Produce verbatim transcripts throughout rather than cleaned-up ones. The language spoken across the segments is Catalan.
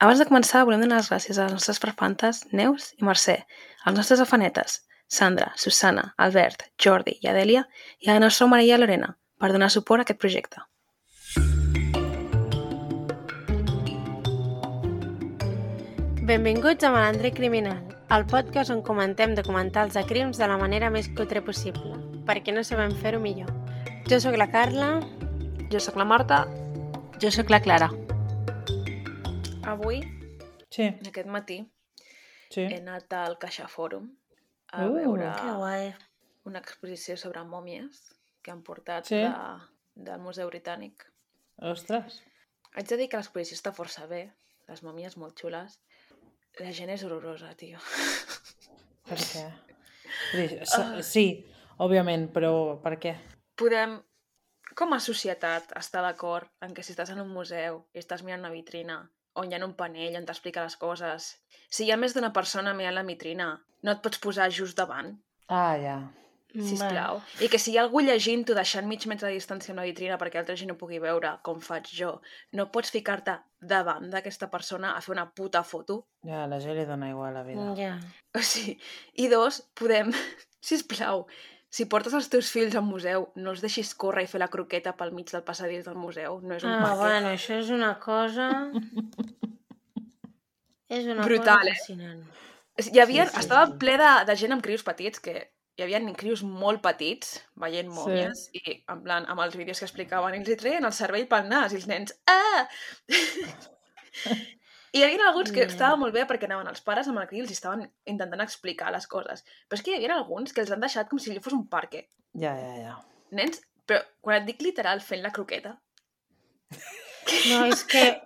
Abans de començar, volem donar les gràcies a les nostres parfantes, Neus i Mercè, als nostres afanetes, Sandra, Susana, Albert, Jordi i Adèlia, i a la nostra Maria Lorena, per donar suport a aquest projecte. Benvinguts a Malandre Criminal, el podcast on comentem documentals de crims de la manera més cutre possible, perquè no sabem fer-ho millor. Jo sóc la Carla. Jo sóc la Marta. Jo sóc la Clara. Avui, Sí. aquest matí, Sí. he anat al Caixa Fòrum a Uh, veure Que guai. una exposició sobre mòmies que han portat Sí. de, del Museu Britànic. Ostres. Haig de dir que l'exposició està força bé, les mòmies molt xules. La gent és horrorosa, tio. Per què? Vull dir, s- Sí, òbviament, però per què? Podem, com a societat, estar d'acord en que si estàs en un museu i estàs mirant una vitrina on hi ha un panell on t'explica les coses, si hi ha més d'una persona mirant la vitrina, no et pots posar just davant, Ah, ja. sisplau. I que si hi ha algú llegint-ho deixant mig metre de distància amb la vitrina perquè altra gent no pugui veure, com faig jo, no pots ficar-te davant d'aquesta persona a fer una puta foto. Ja, a la gent li dona igual la vida. Ja. O sigui, i dos, podem, sisplau, si portes els teus fills al museu, no els deixis córrer i fer la croqueta pel mig del passadís del museu. No és un Ah, parc. bueno, això és una cosa... és una Brutal, cosa eh? fascinant. Hi havia, Sí, sí, estava sí. ple de, de gent amb crios petits, que hi havia crios molt petits, veient mòmies, sí. I en plan, amb els vídeos que explicaven, i els hi treien el cervell pel nas, i els nens, ah! I hi havia alguns que Mm. estava molt bé perquè anaven els pares amb el criu i els estaven intentant explicar les coses. Però és que hi havia alguns que els han deixat com si allò fos un parque. Ja, ja, ja. Nens, però quan et dic literal fent la croqueta... No, és que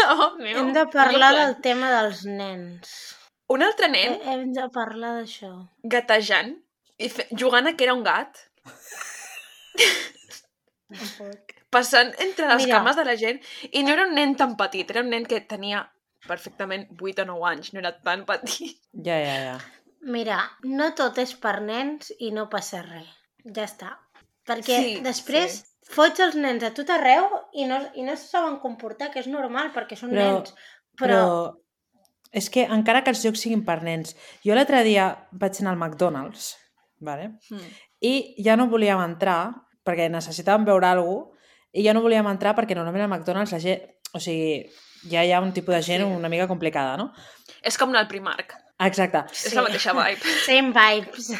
Oh, meu, hem de parlar no, del tema dels nens. Un altre nen Eh, Hem de parlar d'això. gatejant i fe... jugant a que era un gat, passant entre les Mira. cames de la gent, i no era un nen tan petit, era un nen que tenia perfectament vuit o nou anys, no era tan petit. Ja, ja, ja. Mira, no tot és per nens i no passa res. Ja està. Perquè Sí, després sí. fots els nens a tot arreu i no, i no se saben comportar, que és normal, perquè són Però, nens. però... Però, És que encara que els jocs siguin per nens... Jo l'altre dia vaig anar al McDonald's, vale? Hmm. I ja no volíem entrar perquè necessitàvem veure alguna cosa i ja no volíem entrar perquè normalment al McDonald's la gent... O sigui, ja hi ha un tipus de gent Sí. una mica complicada, no? És com anar al Primark. Exacte. És la mateixa vibe. same vibes.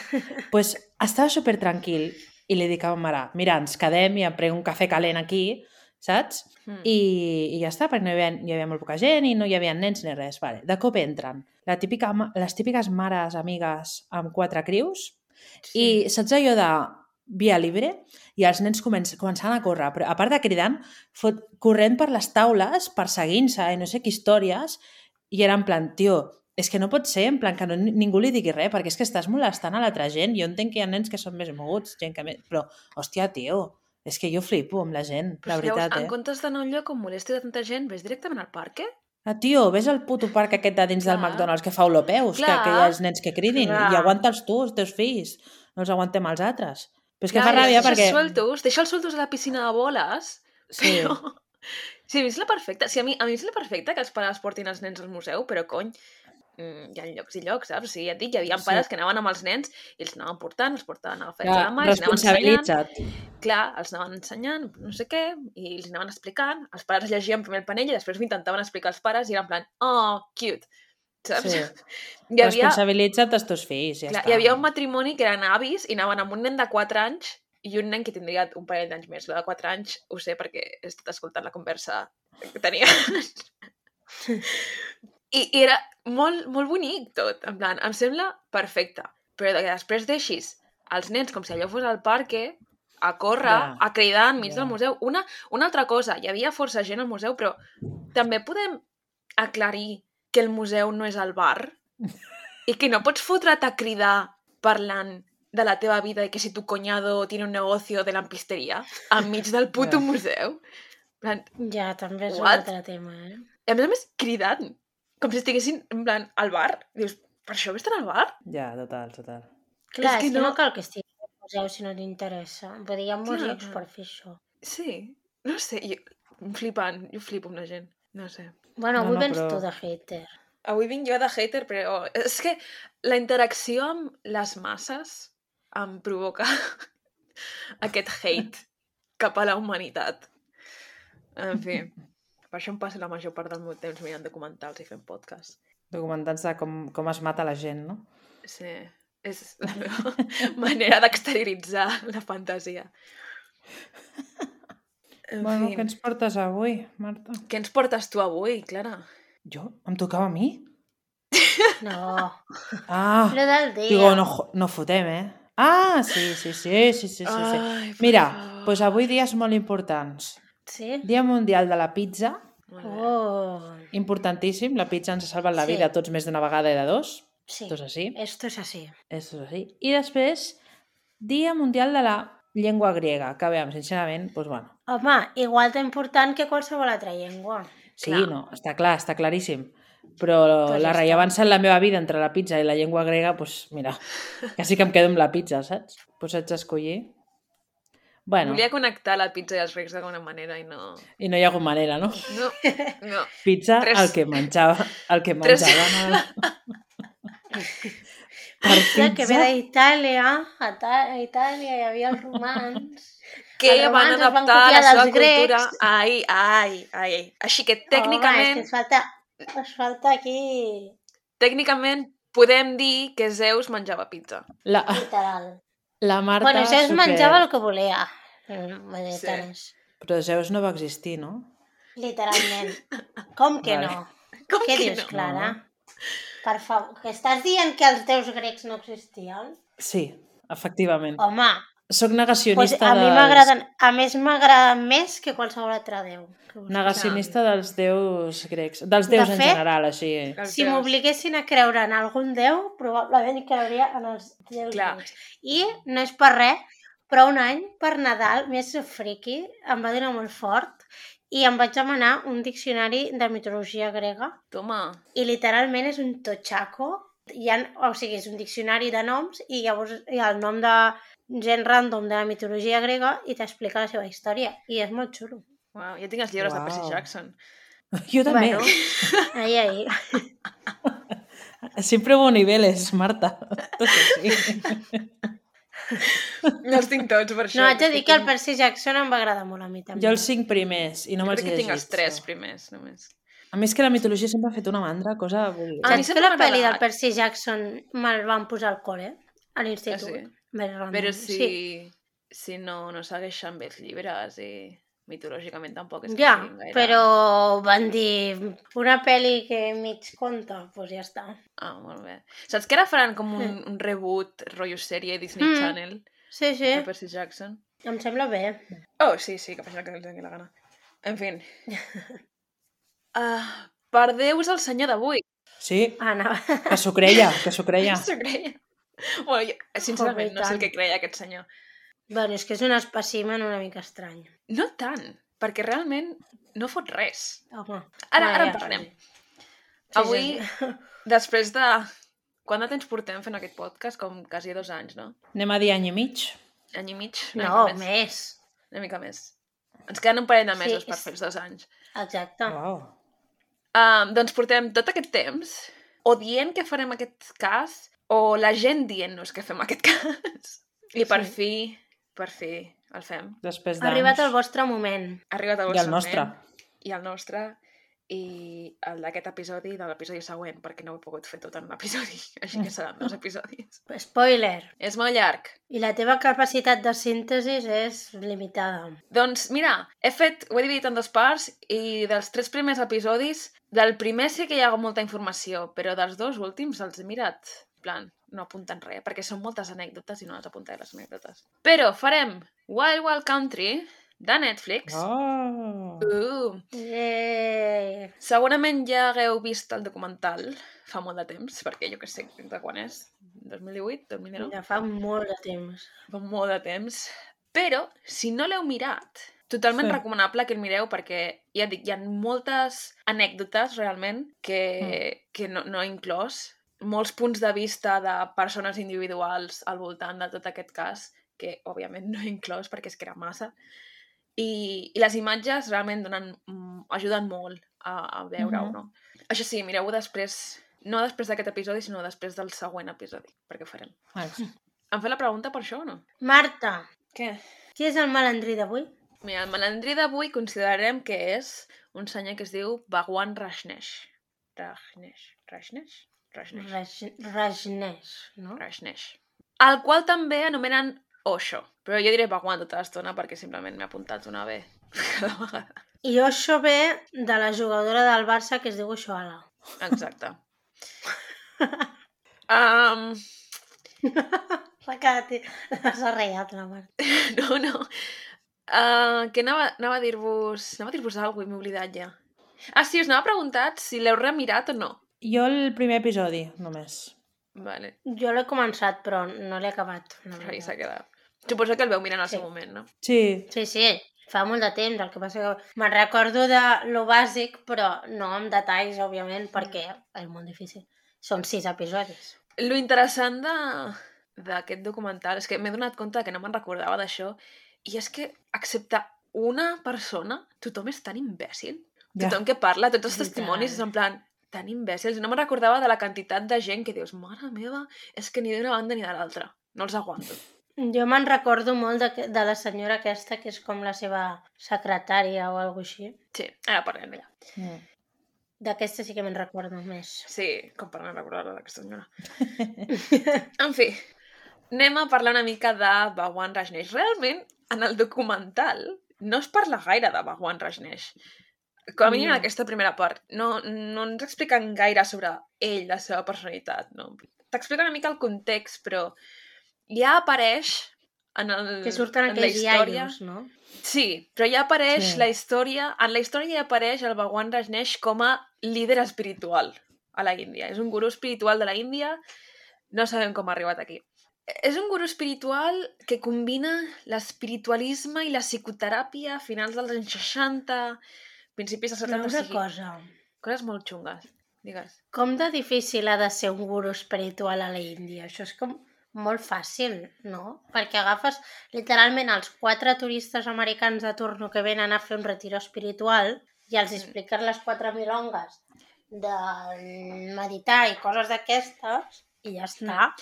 Pues estava super tranquil i li dic a ma mare, mira, ens quedem i em prenc un cafè calent aquí, saps? Mm. I, i ja està, perquè no hi havia, hi havia molt poca gent i no hi havia nens ni res. Vale. De cop entren la típica, ma- les típiques mares amigues amb quatre crius Sí. i saps allò de via libre? I els nens començ, començant a córrer, però a part de cridant, fot, corrent per les taules, perseguint-se i no sé què històries, i era en plan, tio, és que no pot ser, en plan, que no, ningú li digui res, perquè és que estàs molestant a l'altra gent. Jo entenc que hi ha nens que són més moguts, gent que més... Però, hòstia, tio, és que jo flipo amb la gent, Però la si llavors, veritat, en eh? comptes d'anar a un lloc on molesti de tanta gent, ves directament al parc, eh? Ah, tio, ves al puto parc aquest de dins del Clar. McDonald's que fa olopeus, que, Clar. que hi ha els nens que cridin, Clar. i aguanta'ls tu, els teus fills, no els aguantem els altres. Però és que Clar, fa ràbia deixa'ls perquè... Sueltos, deixa'ls sueltos a la piscina de boles. Sí. Però... Sí, a mi és la perfecta. Sí, a mi, a mi és la perfecta que els pares portin els nens al museu, però cony, mm, hi ha llocs i llocs, saps? O sigui, ja et dic, hi havia Sí. pares que anaven amb els nens i els anaven portant, els portaven a la festa Ja, de mà, els anaven ensenyant. responsabilitza't. Clar, els anaven ensenyant, no sé què, i els anaven explicant. Els pares llegien primer el panell i després ho intentaven explicar als pares i era en plan, oh, cute, saps? Sí. Hi havia, Responsabilitza't els teus fills, ja clar, està. hi havia un matrimoni que eren avis i anaven amb un nen de quatre anys i un nen que tindria un parell d'anys més. Lo de quatre anys ho sé perquè he estat escoltant la conversa que tenia. I, I era molt, molt bonic tot, en plan, em sembla perfecte. Però que després deixis els nens com si allò fos al parque, a córrer, Ja. a cridar enmig Ja. del museu. Una, una altra cosa, hi havia força gent al museu, però també podem aclarir que el museu no és el bar i que no pots fotre't a cridar parlant de la teva vida i que si tu cuñado tiene un negocio de lampisteria enmig del puto Ja. museu. En plan, Ja, també és un What? altre tema, eh? a més a més, cridant, com si estiguessin, en plan, al bar. Dius, per això vés estar al bar? Ja, total, total. Clar, És que és que no no- cal que estiguis al museu si no t'interessa. Vull dir, hi ha molts Clar. llocs per fer això. Sí, no sé, jo, flipant, jo flipo amb la gent, no sé. Bueno, No, avui no, vens però- tu de hater. Avui vinc jo de hater, però és que la interacció amb les masses em provoca aquest hate cap a la humanitat. En fi, per això em passo la major part del meu temps mirant documentals i fent podcast. Documentats de com, com es mata la gent, no? Sí, és la meva manera d'exterioritzar la fantasia. En Bueno, fi, què ens portes avui, Marta? què ens portes tu avui, Clara? Jo? Em tocava a mi? No, Ah, lo del dia. digo, no, jo- no fotem, eh? Ah, sí, sí, sí, sí, sí, sí. sí. Ai, per Mira, favor. doncs avui dies molt importants. Sí? Dia Mundial de la Pizza, Molt bé. Oh, importantíssim. La pizza ens ha salvat la Sí. vida a tots més d'una vegada i de dos. sí. Esto es así. Esto es así. Esto es así. I després, Dia Mundial de la Llengua Grega, que a veure, sincerament, doncs bueno. Home, igual d'important que qualsevol altra llengua. Sí, Clar. no, està clar, està claríssim. Però Pues la ja rellevància en la meva vida entre la pizza i la llengua grega, doncs mira, quasi que em quedo amb la pizza, saps? Doncs haig d'escollir. Bueno, Volia connectar la pizza i els grecs d'alguna manera i no... i no hi ha hagut manera, no? No, no. Pizza, Tres- el que menjava, el que Tres- menjava. Per Pizza que ve pizza, d'Itàlia, a, Ta- a Itàlia hi havia els romans. Que Els van romans es van adaptar copiar la seva dels grecs. cultura... Ai, ai, ai. Així que tècnicament, Home, és que ens falta, ens falta aquí, tècnicament podem dir que Zeus menjava pizza. la, literal. la Marta... Bueno, Zeus super- menjava el que volia. Mm, vull dir, Sí. tant és. Però Zeus no va existir, no? Literalment. Com que Vale. no? Com Què que dius, no? Clara? Per favor, que estàs dient que els déus grecs no existien? Sí, efectivament. Home, Soc pues negacionista a mi dels... m'agraden, a més m'agraden més que qualsevol altre déu. que us Negacionista dels déus grecs. Dels De déus en fet, general, així. Els Si déus. m'obliguessin a creure en algun déu, probablement creuria en els déus Clar. grecs. I no és per res, però un any, per Nadal, més friki, em va donar molt fort i em vaig demanar un diccionari de mitologia grega Toma. i literalment és un totxaco. Hi ha, o sigui, és un diccionari de noms i llavors hi ha el nom de gent random de la mitologia grega i t'explica la seva història. I és molt xulo. Uau, jo tinc els llibres Uau. de Percy Jackson. Jo també. Bueno, ahí, ahí. Siempre hubo niveles, Marta. Tot així. No els tinc tots, per això. No, haig de dir que el tinc- Percy Jackson em va agradar molt a mi també. Jo els cinc primers i no Jo me'ls crec he que tinc llegit. els tres però- primers, només. A més que la mitologia sempre ha fet una mandra, cosa... vull dir- A mi Saps sempre que la m'ha pel·li del agradat. Percy Jackson me'l van posar al col·le? A l'institut. Ah, sí? Més random. Però si, Sí. si no, no segueixen bé els llibres i mitològicament tampoc és que Ja, siguin gaire... però van dir una pel·li que mig conta, doncs pues ja està. Ah, molt bé. Saps que ara faran com un, un reboot, rotllo sèrie Disney Mm. Channel Sí, sí, de Percy Jackson? em sembla bé. Oh, sí, sí, que facin el que els doni la gana. En fi. Uh, per Déu és el senyor d'avui. Sí, Anna, que s'ho creia, que s'ho creia. S'ho creia. Bueno, jo, sincerament, Home, i no sé el tant. que creia aquest senyor. bueno, és que és un espècimen una mica estrany. No tant, perquè realment no fot res. Home, Ara, ja, ara ja, en parlarem. sí, Avui, sí. després de... Quant de temps portem fent aquest podcast? Com quasi dos anys, no? Anem a dir any i mig. Any i mig? Una No, mica més. més. Una mica més. Ens queden un parell de Sí, mesos per és- fer els dos anys. Exacte. Uau. Um, doncs portem tot aquest temps o dient que farem aquest cas o la gent dient-nos que fem aquest cas. I per Sí. fi, per fi, el fem. Després Ha d'anys. arribat el vostre moment. Ha arribat el I vostre el nostre. moment. I el nostre. I el d'aquest episodi i de l'episodi següent, perquè no ho he pogut fer tot en un episodi. Així que seran dos episodis. Spoiler. És molt llarg. I la teva capacitat de síntesi és limitada. Doncs mira, he fet, ho he dividit en dues parts i dels tres primers episodis, del primer sí que hi ha molta informació, però dels dos últims els he mirat, en plan, no apunten res, perquè són moltes anècdotes i no les apuntaré les anècdotes. Però farem Wild Wild Country de Netflix. Oh. Uh, Yeah. segurament ja hagueu vist el documental fa molt de temps, perquè jo que sé de quan és, dos mil divuit, dos mil dinou? Ja fa molt de temps. Fa molt de temps. Però, si no l'heu mirat, totalment Sí. recomanable que el mireu perquè, ja et dic, hi ha moltes anècdotes realment que, Mm. que no, no he inclòs. Molts punts de vista de persones individuals al voltant de tot aquest cas, que òbviament no he inclòs perquè és que era massa. I, i les imatges realment donen, mm, ajuden molt a, a veure-ho, Mhm. no? Això sí, mireu-ho després, no després d'aquest episodi, sinó després del següent episodi, perquè ho farem. Vale. Em fa la pregunta per això o no? Marta, Què? qui és el malandrí d'avui? Mira, el malandrí d'avui considerarem que és un senyor que es diu Bhagwan Rajneesh. Rajneesh. Rajneesh? Rajneesh. Raj- Rajneesh, no? Rajneesh. El qual també anomenen Osho. Però jo diré Bhagwan tota l'estona perquè simplement m'he apuntat una B cada vegada. I Osho ve de la jugadora del Barça que es diu Oshoala. Exacte. um, S'ha quedat... S'ha reiat la Marta. no, no. Uh, que anava, anava a dir-vos... Anava a dir-vos alguna cosa i m'he oblidat ja. Ah, sí, us anava preguntat si l'heu remirat o no. Jo el primer episodi, només. Vale, Jo l'he començat, però no l'he acabat. La ahí s'ha veritat. quedat. Suposo que el veu mirant al Sí. seu moment, no? Sí, Sí, sí, fa molt de temps. El que passa que me'n recordo de lo bàsic, però no amb detalls, òbviament, perquè és molt difícil. Són sis episodis. Lo interessant de d'aquest documental és que m'he donat compte que no me'n recordava d'això i és que, excepte una persona, tothom és tan imbècil. Ja. Tothom que parla, tots els Literal. testimonis és en plan tan imbècils. No me'n recordava de la quantitat de gent que dius, mare meva, és que ni d'una banda ni de l'altra. No els aguanto. Jo me'n recordo molt de, de la senyora aquesta, que és com la seva secretària o alguna així. Sí, ara parlem d'ella. Mm. D'aquesta sí que me'n recordo més. Sí, com per no recordar-la d'aquesta senyora. En fi, anem a parlar una mica de Bhagwan Rajneesh. Realment, en el documental no es parla gaire de Bhagwan Rajneesh. Com a mínim en No. aquesta primera part. No, no ens expliquen gaire sobre ell, la seva personalitat. No? T'expliquen una mica el context, però ja apareix en, el, Que surten en la aquells història... iaios, no? Sí, però ja apareix Sí. la història... En la història ja apareix el Bhagwan Rajneesh com a líder espiritual a la Índia. És un gurú espiritual de la Índia. No sabem com ha arribat aquí. És un gurú espiritual que combina l'espiritualisme i la psicoteràpia a finals dels anys seixanta, principis dels Però setanta, una o sigui, cosa, coses molt xungues. Digues. com de difícil ha de ser un guru espiritual a la Índia? Això és com molt fàcil, no? Perquè agafes literalment els quatre turistes americans de turno que venen a fer un retiro espiritual i els expliques les quatre milongues de meditar i coses d'aquestes i ja està.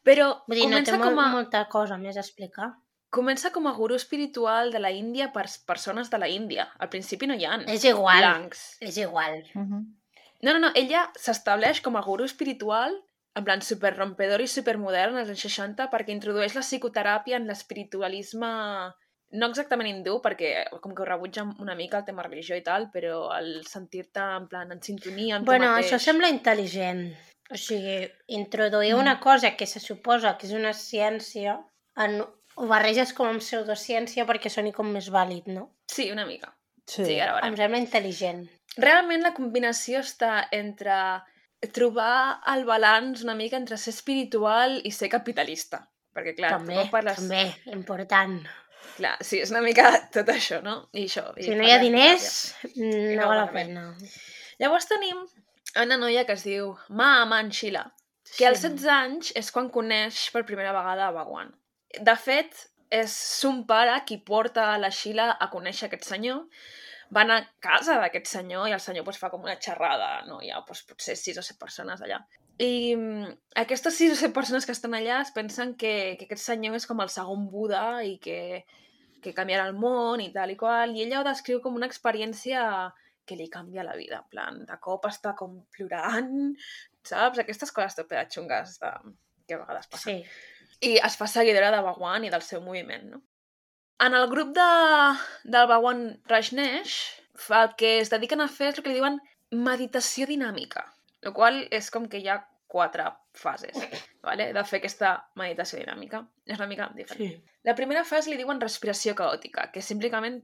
Però Vull dir, no té comença, molt, com a, molta cosa més a explicar. comença com a gurú espiritual de la Índia per persones de la Índia. Al principi no hi ha És igual, blancs. és igual. Mhm. No, no, no, ella s'estableix com a gurú espiritual, en plan superrompedor i supermodern als anys seixanta, perquè introdueix la psicoteràpia en l'espiritualisme, no exactament hindú, perquè com que ho rebutja una mica el tema religió i tal, però el sentir-te en plan en sintonia amb Bueno, tu mateix. això sembla intel·ligent. O sigui, introduir una cosa que se suposa que és una ciència, en, ho barreges com amb pseudociència perquè soni com més vàlid, no? Sí, una mica. Sí. Sí, ara Em veurem. sembla intel·ligent. Realment la combinació està entre trobar el balanç una mica entre ser espiritual i ser capitalista. Perquè, clar, també, tu quan parles... també, important. Clar, sí, és una mica tot això, no? I això. I Si no hi ha parles diners, teràpia. no no val la val la pena. Llavors tenim una noia que es diu Ma Aman Sheila, que als setze anys és quan coneix per primera vegada a Bhagwan. De fet, és son pare qui porta la Sheila a conèixer aquest senyor. Van a casa d'aquest senyor i el senyor pues, fa com una xerrada, no? Hi ha pues, potser sis o set persones allà. I mm, aquestes sis o set persones que estan allà es pensen que, que aquest senyor és com el segon Buda i que, que canviarà el món i tal i qual, i ella ho descriu com una experiència que li canvia la vida, en plan, de cop està com plorant, saps? Aquestes coses tope de xungues de... que a vegades passen. Sí. I es fa seguidora de Bhagwan i del seu moviment, no? En el grup de, del Bhagwan Rajneesh, el que es dediquen a fer és el que li diuen meditació dinàmica, el qual és com que hi ha quatre fases, ¿vale? De fer aquesta meditació dinàmica. És una mica diferent. Sí. La primera fase li diuen respiració caòtica, que simplement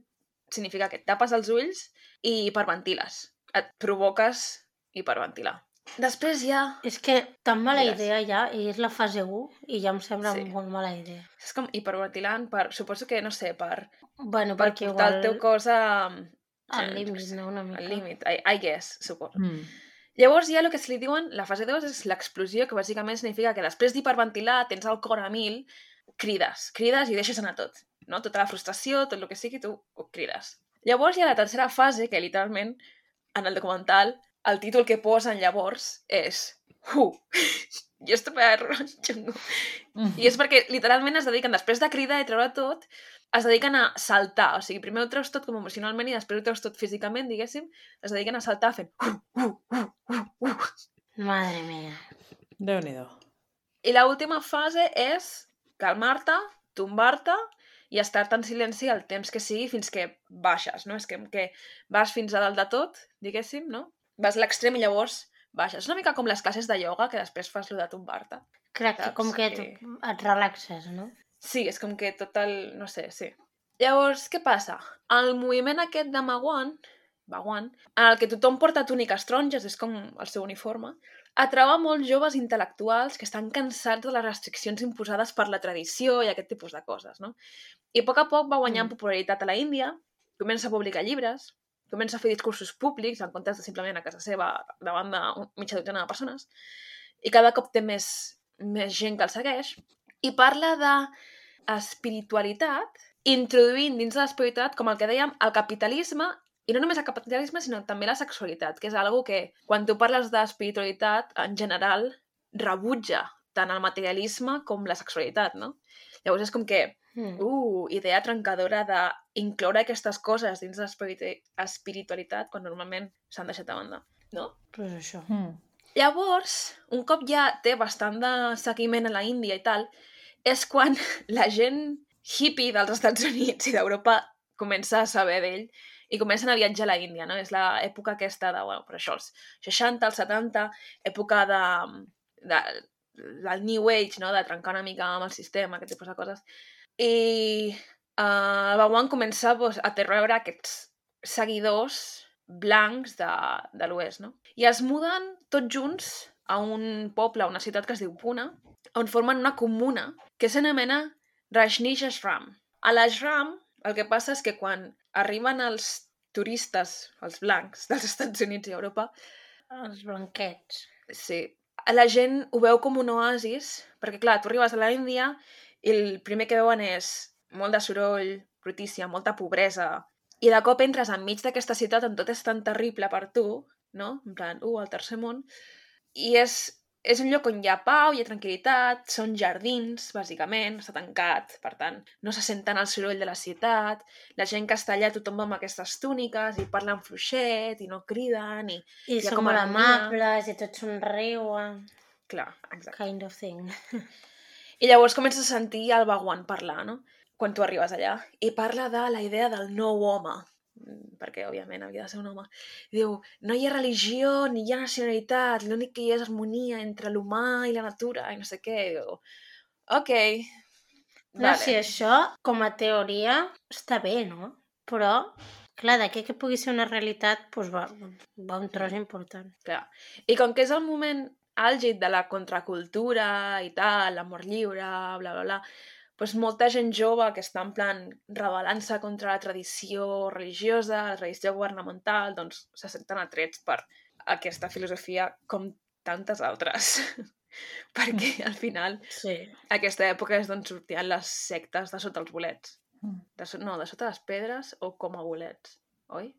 significa que et tapes els ulls i hiperventiles. Et provoques hiperventilar. Després hi ha... És que tan mala Digues. idea ja, i és la fase u, i ja em sembla Sí. molt mala idea. És com hiperventilant per... Suposo que, no sé, per, Bueno, per perquè portar igual el teu cos a... al eh, límit, no? Una mica. Al límit, I, I guess, suposo. Mm. Llavors hi ha el que se li diuen, la fase dos és l'explosió, que bàsicament significa que després d'hiperventilar, tens el cor a mil, crides, crides i deixes anar tot, no? Tota la frustració, tot el que sigui, tu ho crides. Llavors hi ha la tercera fase, que literalment en el documental, el títol que posen llavors és Who? I és super xungo. I és perquè literalment es dediquen, després de cridar i treure tot, es dediquen a saltar. O sigui, primer ho treus tot com emocionalment i després ho treus tot físicament, diguéssim. Es dediquen a saltar fent uh, uh, uh, uh, uh. Madre mía. Déu-n'hi-do. I l'última fase és calmar-te, tombar-te i estar-te en silenci el temps que sigui fins que baixes, no? És que, que vas fins a dalt de tot, diguéssim, no? Vas a l'extrem i llavors baixes. És una mica com les classes de ioga, que després fas lo de tombar-te. Crec que Saps? com que Que- tu et relaxes, no? Sí, és com que tot el... no sé, sí. Llavors, què passa? El moviment aquest de Bhagwan, Bhagwan, en el que tothom porta túniques taronges, és com el seu uniforme, atrau molts joves intel·lectuals que estan cansats de les restriccions imposades per la tradició i aquest tipus de coses, no? I a poc a poc va guanyant Mm. popularitat a la Índia, comença a publicar llibres, comença a fer discursos públics en comptes de simplement a casa seva davant de mitja dotzena de persones, i cada cop té més, més gent que el segueix, i parla de espiritualitat, introduint dins de l'espiritualitat, com el que dèiem, el capitalisme, i no només el capitalisme, sinó també la sexualitat, que és algo que, quan tu parles d'espiritualitat, en general, rebutja tant el materialisme com la sexualitat, no? Llavors és com que, Mm. uh, idea trencadora d'incloure aquestes coses dins de l'espiritualitat quan normalment s'han deixat de banda, no? Pues això. Mm. Llavors, un cop ja té bastant de seguiment a la Índia i tal, és quan la gent hippie dels Estats Units i d'Europa comença a saber d'ell i comencen a viatjar a la Índia, no? És l'època aquesta de, bueno, per això, els seixanta, els setanta, època de, de, del New Age, no? De trencar una mica amb el sistema, aquest tipus de coses. I uh, el Bhagwan comença pues, a treure aquests seguidors blancs de, de l'oest, no? I es muden tots junts a un poble, a una ciutat que es diu Pune, on formen una comuna que s'anomena Rajneesh Ashram. A l'ashram el que passa és que quan arriben els turistes, els blancs dels Estats Units i Europa, Els blanquets. sí, la gent ho veu com un oasis, perquè clar, tu arribes a la Índia i el primer que veuen és molt de soroll, brutícia, molta pobresa, i de cop entres enmig d'aquesta ciutat on tot és tan terrible per tu, no? En plan, uh, el tercer món, i és, és un lloc on hi ha pau, hi ha tranquil·litat, són jardins, bàsicament, està tancat, per tant, no se senten el soroll de la ciutat, la gent que està allà, tothom va amb aquestes túniques i parlen fluixet i no criden, i I hi ha són com molt harmonia. amables i tots somriuen. Clar, exacte. Kind of thing. I llavors comences a sentir el Bhagwan parlar, no? Quan tu arribes allà. I parla de la idea del nou home, mm, perquè, òbviament, havia de ser un home. I diu, no hi ha religió ni hi ha nacionalitat, l'únic que hi ha és harmonia entre l'humà i la natura, i no sé què. I diu, ok, No, vale. si això, com a teoria, està bé, no? Però, clar, d'aquí que pugui ser una realitat, doncs va, va un tros important. Clar. I com que és el moment àlgid de la contracultura i tal, l'amor lliure, bla, bla, bla, doncs molta gent jove que està en plan rebel·lant-se contra la tradició religiosa, la tradició governamental, doncs se senten atrets per aquesta filosofia com tantes altres. Perquè al final Sí. aquesta època és d'on sortien les sectes de sota els bolets. Mm. De so... No, de sota les pedres o com a bolets, oi?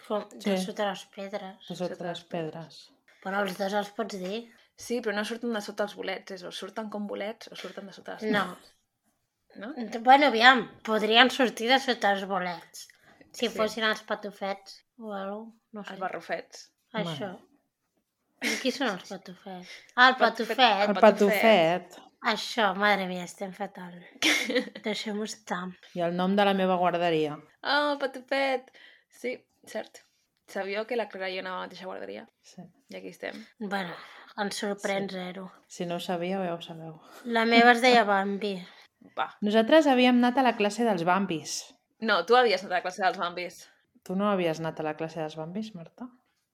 Com, de Sí. sota les pedres. De sota les pedres. Però els dos els pots dir. Sí, però no surten de sota els bolets, és o surten com bolets o surten de sota les No. no? Bueno, aviam, podrien sortir de sota els bolets. Si Sí. fossin els patufets o alguna cosa, no sé. Els barrufets. Això. I qui són els patufets? Ah, el Patufet- patufet. El patufet. Això, madre mia, estem fatal. Deixem-ho estar. I el nom de la meva guarderia. Ah, oh, patufet! Sí, cert. Sabíeu que la Clara i jo anàvem a la mateixa guarderia? Sí. I aquí estem. Bueno, ens sorprèn Sí. zero. Si no ho sabíeu, ja ho sabeu. La meva es deia Bambi. Va. Nosaltres havíem anat a la classe dels bambis. No, tu havies anat a la classe dels bambis. Tu no havies anat a la classe dels bambis, Marta?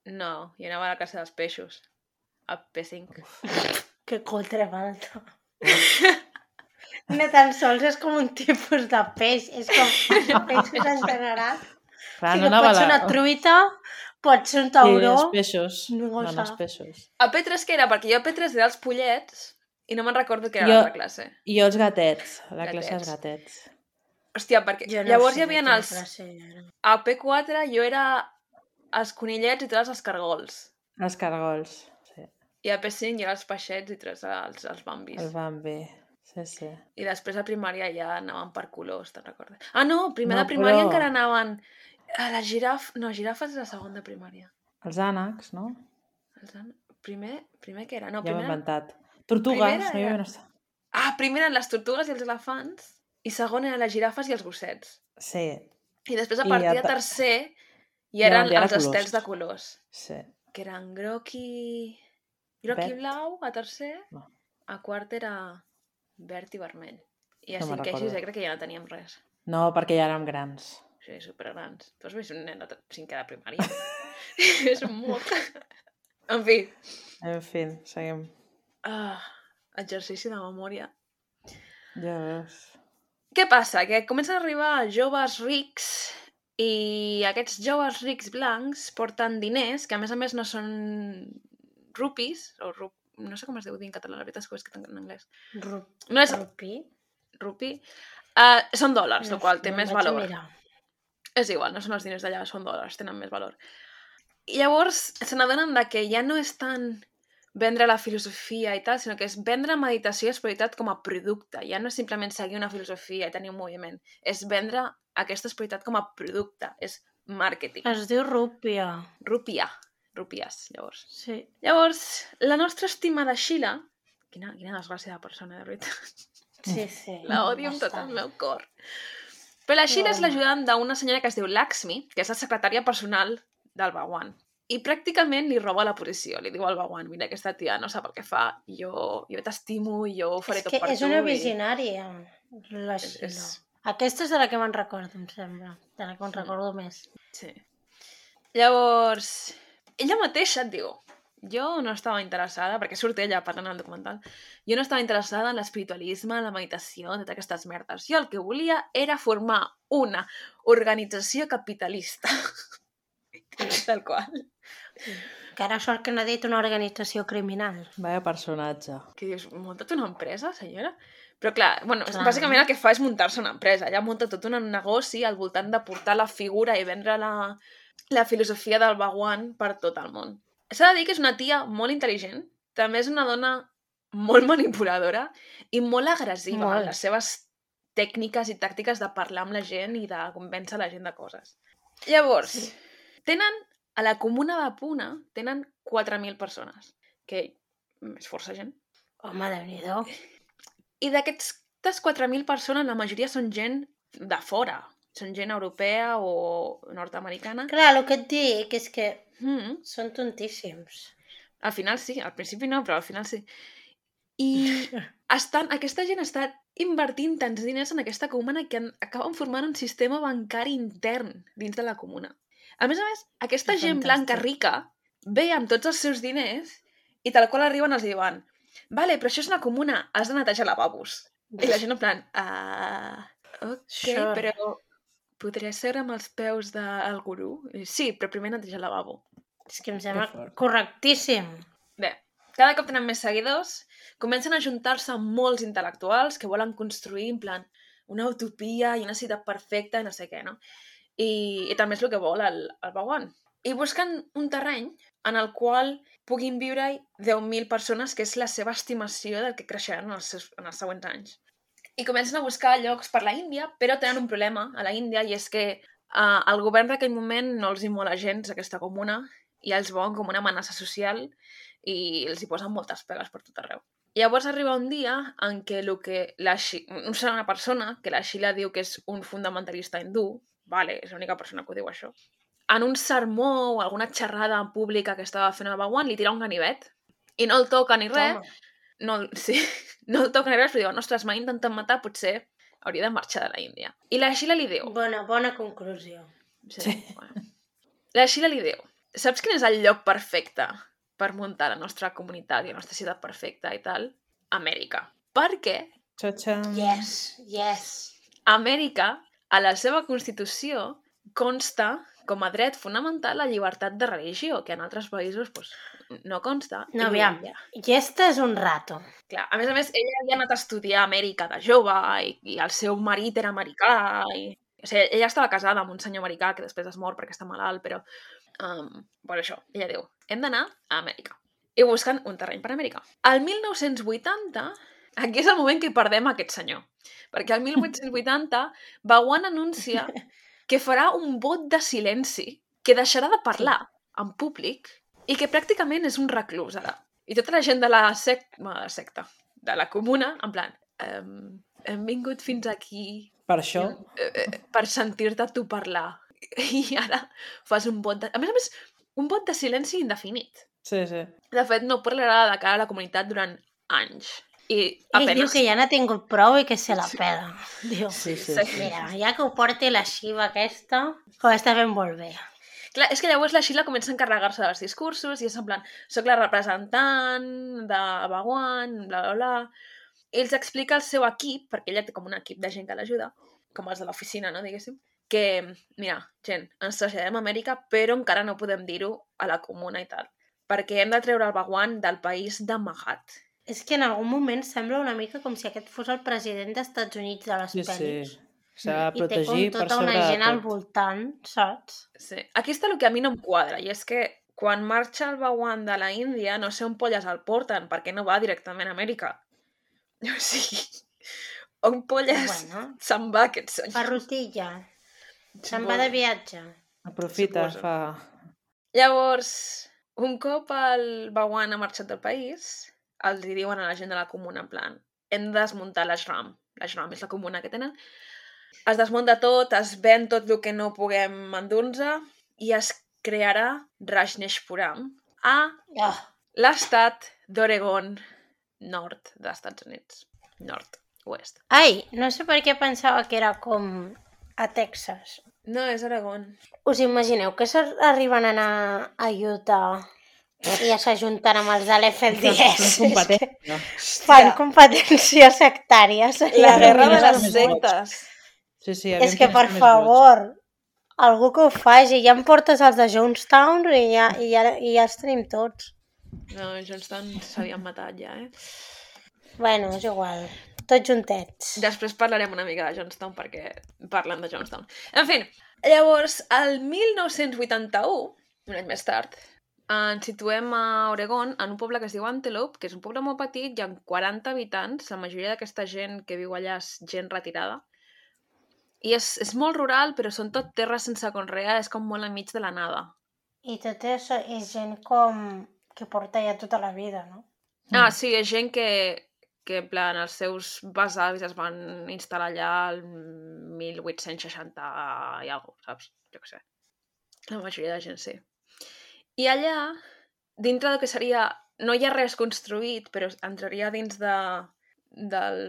No, jo anava a la classe dels peixos. A P cinc. Que contra falta. No tan sols és com un tipus de peix, és com peixos en general. Clar, Sí, no que anava pot a ser la... una truita, pot ser un Sí, tauró. els peixos. No ho Anaven els sap. peixos. A P tres què era? Perquè jo a P tres era els pollets i no me'n recordo què era Jo- l'altra classe. I jo els gatets, a la classe dels Gatets. gatets. Hòstia, perquè Jo no llavors sé hi havia de quina els... classe era. A P quatre jo era els conillets i tots els escargols. Els cargols, sí. I a P cinc hi ha els peixets i tots els, els bambis. El Bambi, sí, sí. I després a primària ja anaven per colors, te'n recordes? Ah, no, primer No, de primària però- encara anaven a la giraf... No, girafes és la segona de primària. Els ànecs, no? Els an- Primer, primer què era? No, Ja m'he primer... inventat. Tortugues, Primera no hi era- havia... una- Ah, primer eren les tortugues i els elefants i segon eren les girafes i els gossets. Sí, I després a I partir a de ta- tercer hi Ja eren van dir ara els colors. estels de colors, sí. que eren groc i... groc i Verd. blau a tercer, No. a quart era verd i vermell. I a No me'n cinquè i recordo. sisè crec que ja no teníem res. No, perquè ja érem grans. Sí, supergrans. Tu has vist un nen de t- cinquè de primària? És molt... En fi, En fi, seguim. ah, exercici de memòria. Ja veus. Què passa? Que comencen a arribar joves rics i aquests joves rics blancs porten diners, que a més a més no són rupis, o rup... no sé com es deu dir en català, la veritat és que ho he escrit en anglès. Ru- No és Rupi. rupi, uh, són dòlars, No el qual sé, té me'n més vaig a valor. mirar. És igual, no són els diners d'allà, són dòlars, tenen més valor. I llavors se n'adonen de que ja no és tant vendre la filosofia i tal, sinó que és vendre meditació i espiritualitat com a producte. Ja no és simplement seguir una filosofia i tenir un moviment. És vendre aquesta espiritualitat com a producte. És màrqueting. Es diu Rúpia. Rupia. Rupies, llavors. Sí. Llavors, la nostra estimada Sheila... Quina, quina desgràcia de persona, de veritat. Sí, sí. La odio amb tot el bastant. meu cor. Però la Sheila és Home. l'ajudant d'una senyora que es diu Lakshmi, que és la secretària personal del Bhagwan. I pràcticament li roba la posició. Li diu al Bhagwan, mira, aquesta tia no sap el que fa, jo, jo t'estimo i jo ho faré És tot que per és tu. una i- visionària, la És- Sheila. és- Aquesta és de la que me'n recordo, em sembla. De la que me'n Sí. recordo més. Sí. Llavors, ella mateixa et diu, jo no estava interessada, perquè surt ella parlant al documental, jo no estava interessada en l'espiritualisme, en la meditació, en totes aquestes merdes. Jo el que volia era formar una organització capitalista. Tal qual. Que ara sort que no ha dit una organització criminal. Vaya personatge. Que dius, munta't una empresa, senyora? Però clar, bueno, Clar. bàsicament el que fa és muntar-se una empresa. Ella munta tot un negoci al voltant de portar la figura i vendre la, la filosofia del Bhagwan per tot el món. S'ha de dir que és una tia molt intel·ligent, també és una dona molt manipuladora i molt agressiva Molt. en les seves tècniques i tàctiques de parlar amb la gent i de convèncer la gent de coses. Llavors, Sí. tenen, a la comuna de Puna, tenen quatre mil persones, que és força gent. Home, Déu-n'hi-do. I d'aquestes quatre mil persones, la majoria són gent de fora. Són gent europea o nord-americana. Clar, el que et dic és que Mm. són tontíssims. Al final sí, al principi no, però al final sí. I estan, aquesta gent està invertint tants diners en aquesta comuna que han, acaben formant un sistema bancari intern dins de la comuna. A més a més, aquesta És gent blanca fantàstic. rica ve amb tots els seus diners i tal qual arriben els diuen vale, però això és una comuna, has de netejar lavabos. I la gent en plan, ah, ok, Sure. però podria ser amb els peus del gurú? I, sí, però primer netejar el lavabo. És que em sembla fort. correctíssim. Bé, cada cop tenen més seguidors, comencen a juntar-se molts intel·lectuals que volen construir, en plan, una utopia i una ciutat perfecta i no sé què, no? I, i també és el que vol el, el Bhagwan. I busquen un terreny en el qual puguin viure-hi deu mil persones, que és la seva estimació del que creixeran en els, seus, en els següents anys. I comencen a buscar llocs per la Índia, però tenen un problema a la Índia, i és que uh, el govern d'aquell moment no els hi mola gens aquesta comuna i els veuen com una amenaça social i els hi posen moltes pegues per tot arreu. Llavors arriba un dia en què, el que la Xi... no serà una persona, que la Sheila diu que és un fundamentalista hindú, vale, és l'única persona que ho diu això, en un sermó o alguna xerrada pública que estava fent el Bhagwan, li tira un ganivet i no el toca ni res, Toma. no, el- sí, no el toca ni res, però diu, ostres, m'ha intentat matar, potser hauria de marxar de la Índia. I la Sheila li diu... Bona, bona conclusió. Sí, sí. Bueno. La Sheila li diu, saps quin és el lloc perfecte per muntar la nostra comunitat i la nostra ciutat perfecta i tal? Amèrica. Per què? Txa-txam. Yes, yes. Amèrica, a la seva Constitució, consta com a dret fonamental la llibertat de religió, que en altres països pues, no consta. No, I aviam. ella, I este és un rato. clar, a més a més, ella havia anat a estudiar a Amèrica de jove i, i el seu marit era americà. I, o sigui, ella estava casada amb un senyor americà que després es mor perquè està malalt, però Um, per això, ella diu, hem d'anar a Amèrica. I busquen un terreny per Amèrica. Al mil nou-cents vuitanta, aquí és el moment que perdem aquest senyor. Perquè al mil vuit-cents vuitanta, Bhagwan anuncia que farà un vot de silenci, que deixarà de parlar en públic i que pràcticament és un reclús ara. I tota la gent de la, sec... bueno, de la secta, de la comuna, en plan, um, hem vingut fins aquí Per això... eh, per sentir-te tu parlar. I ara fas un vot de... A més a més, un vot de silenci indefinit. Sí, sí. De fet, no parlarà de cara a la comunitat durant anys. I Ell apenas... diu que ja n'ha tingut prou i que se la pela. Diu, Sí, sí. Sí. mira, ja que ho porti la xiva aquesta, ho està fent molt bé. Clar, és que llavors la Sheila comença a encarregar-se dels discursos i és en plan, soc la representant de Bhagwan, bla, bla, bla. Ells explica el seu equip, perquè ella té com un equip de gent que l'ajuda, com els de l'oficina, no, diguéssim, que, mira, gent, ens traslladem a Amèrica, però encara no podem dir-ho a la comuna i tal, perquè hem de treure el Bhagwan del país de Mahat. És que en algun moment sembla una mica com si aquest fos el president dels Estats Units de les Sí, sí. pel·lis. S'ha de I té com protegir per tota sobre una de gent al tot. voltant, saps? Sí. Aquí està el que a mi no em quadra, i és que quan marxa el Bhagwan de la Índia, no sé on polles el porten, perquè no va directament a Amèrica. O sigui, on polles Bueno. se'n va aquest senyor? Per rutilla. Se'n va de viatge. Aprofita, Suposo. fa... Llavors, un cop el Bhagwan ha marxat del país, els hi diuen a la gent de la comuna, en plan, hem de desmuntar l'ashram. L'ashram és la comuna que tenen. Es desmunta tot, es ven tot el que no puguem endur-nos i es crearà Rajneshpuram a Oh, l'estat d'Oregon nord dels Estats Units. Nord-oest. ai, no sé per què pensava que era com a Texas. No, és Oregon. Us imagineu que s'arriben a anar a Utah i ja s'ajunten amb els de l'F D S? Són competència. Fan competència sectària. La guerra de Més les vots. sectes. Sí, sí, És que, per més favor, algú que ho faci. Ja em portes els de Jonestown i ja, i ja, i ja els tenim tots. No, Johnston s'havien matat ja, eh? Bueno, és igual. Tots juntets. Després parlarem una mica de Johnstown perquè parlen de Johnstown. En fi, llavors, el mil nou-cents vuitanta-u, un any més tard, ens situem a Oregon, en un poble que es diu Antelope, que és un poble molt petit, hi ha quaranta habitants, la majoria d'aquesta gent que viu allà és gent retirada. I és, és molt rural, però són tot terres sense conrear, és com molt enmig de la nada. I tot això és gent com que porta ja tota la vida, no? Ah, sí, és gent que, que en plan, els seus besavis es van instal·lar allà el mil vuit-cents seixanta i alguna cosa, saps? Jo què sé. La majoria de gent sí. I allà, dintre del que seria... No hi ha res construït, però entraria dins de, del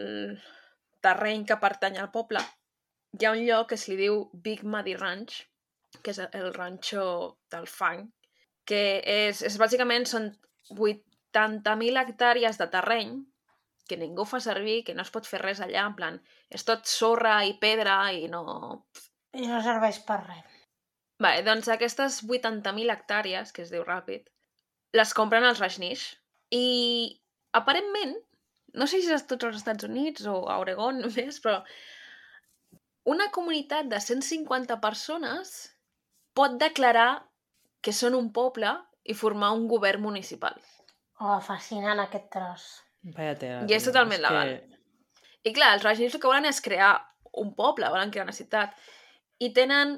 terreny que pertany al poble. Hi ha un lloc que se li diu Big Muddy Ranch, que és el ranxo del fang, que és, és bàsicament són vuitanta mil hectàrees de terreny que ningú fa servir, que no es pot fer res allà, en plan, és tot sorra i pedra i no... I no serveix per res. Vale, doncs aquestes vuitanta mil hectàrees, que es diu ràpid, les compren els Rajneesh i aparentment, no sé si és a tots els Estats Units o a Oregon només, però una comunitat de cent cinquanta persones pot declarar que són un poble i formar un govern municipal. Oh, fascinant aquest tros. Vaya tela, I és tio, totalment és que- legal. I clar, els Rajneesh el que volen és crear un poble, volen crear una ciutat. I tenen,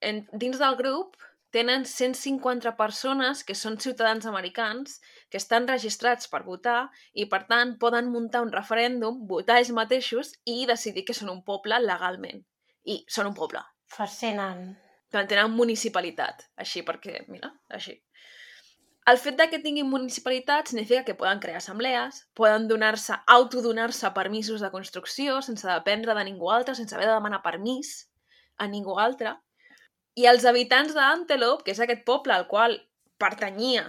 en, dins del grup, tenen cent cinquanta persones que són ciutadans americans, que estan registrats per votar i, per tant, poden muntar un referèndum, votar ells mateixos i decidir que són un poble legalment. I són un poble. Fascinant. Que tenen municipalitat, així, perquè, mira, així. El fet de que tinguin municipalitat significa que poden crear assemblees, poden donar-se, autodonar-se permisos de construcció sense dependre de ningú altre, sense haver de demanar permís a ningú altre. I els habitants d'Antelope, que és aquest poble al qual pertanyia,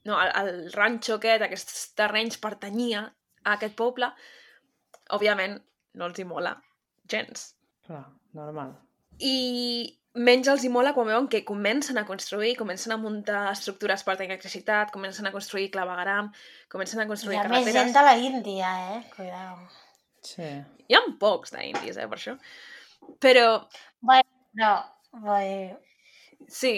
no, el, el ranxo aquest, aquests terrenys pertanyia a aquest poble, òbviament no els hi mola gens. Clar, normal. I menys els hi mola quan veuen que comencen a construir, comencen a muntar estructures per tenir electricitat, comencen a construir clavegueram, comencen a Hi construir ha més carreteres. gent de la Índia, eh? Cuidao. Sí. Hi ha pocs d'indis, eh, per això. Però, Bueno, no, vull... sí,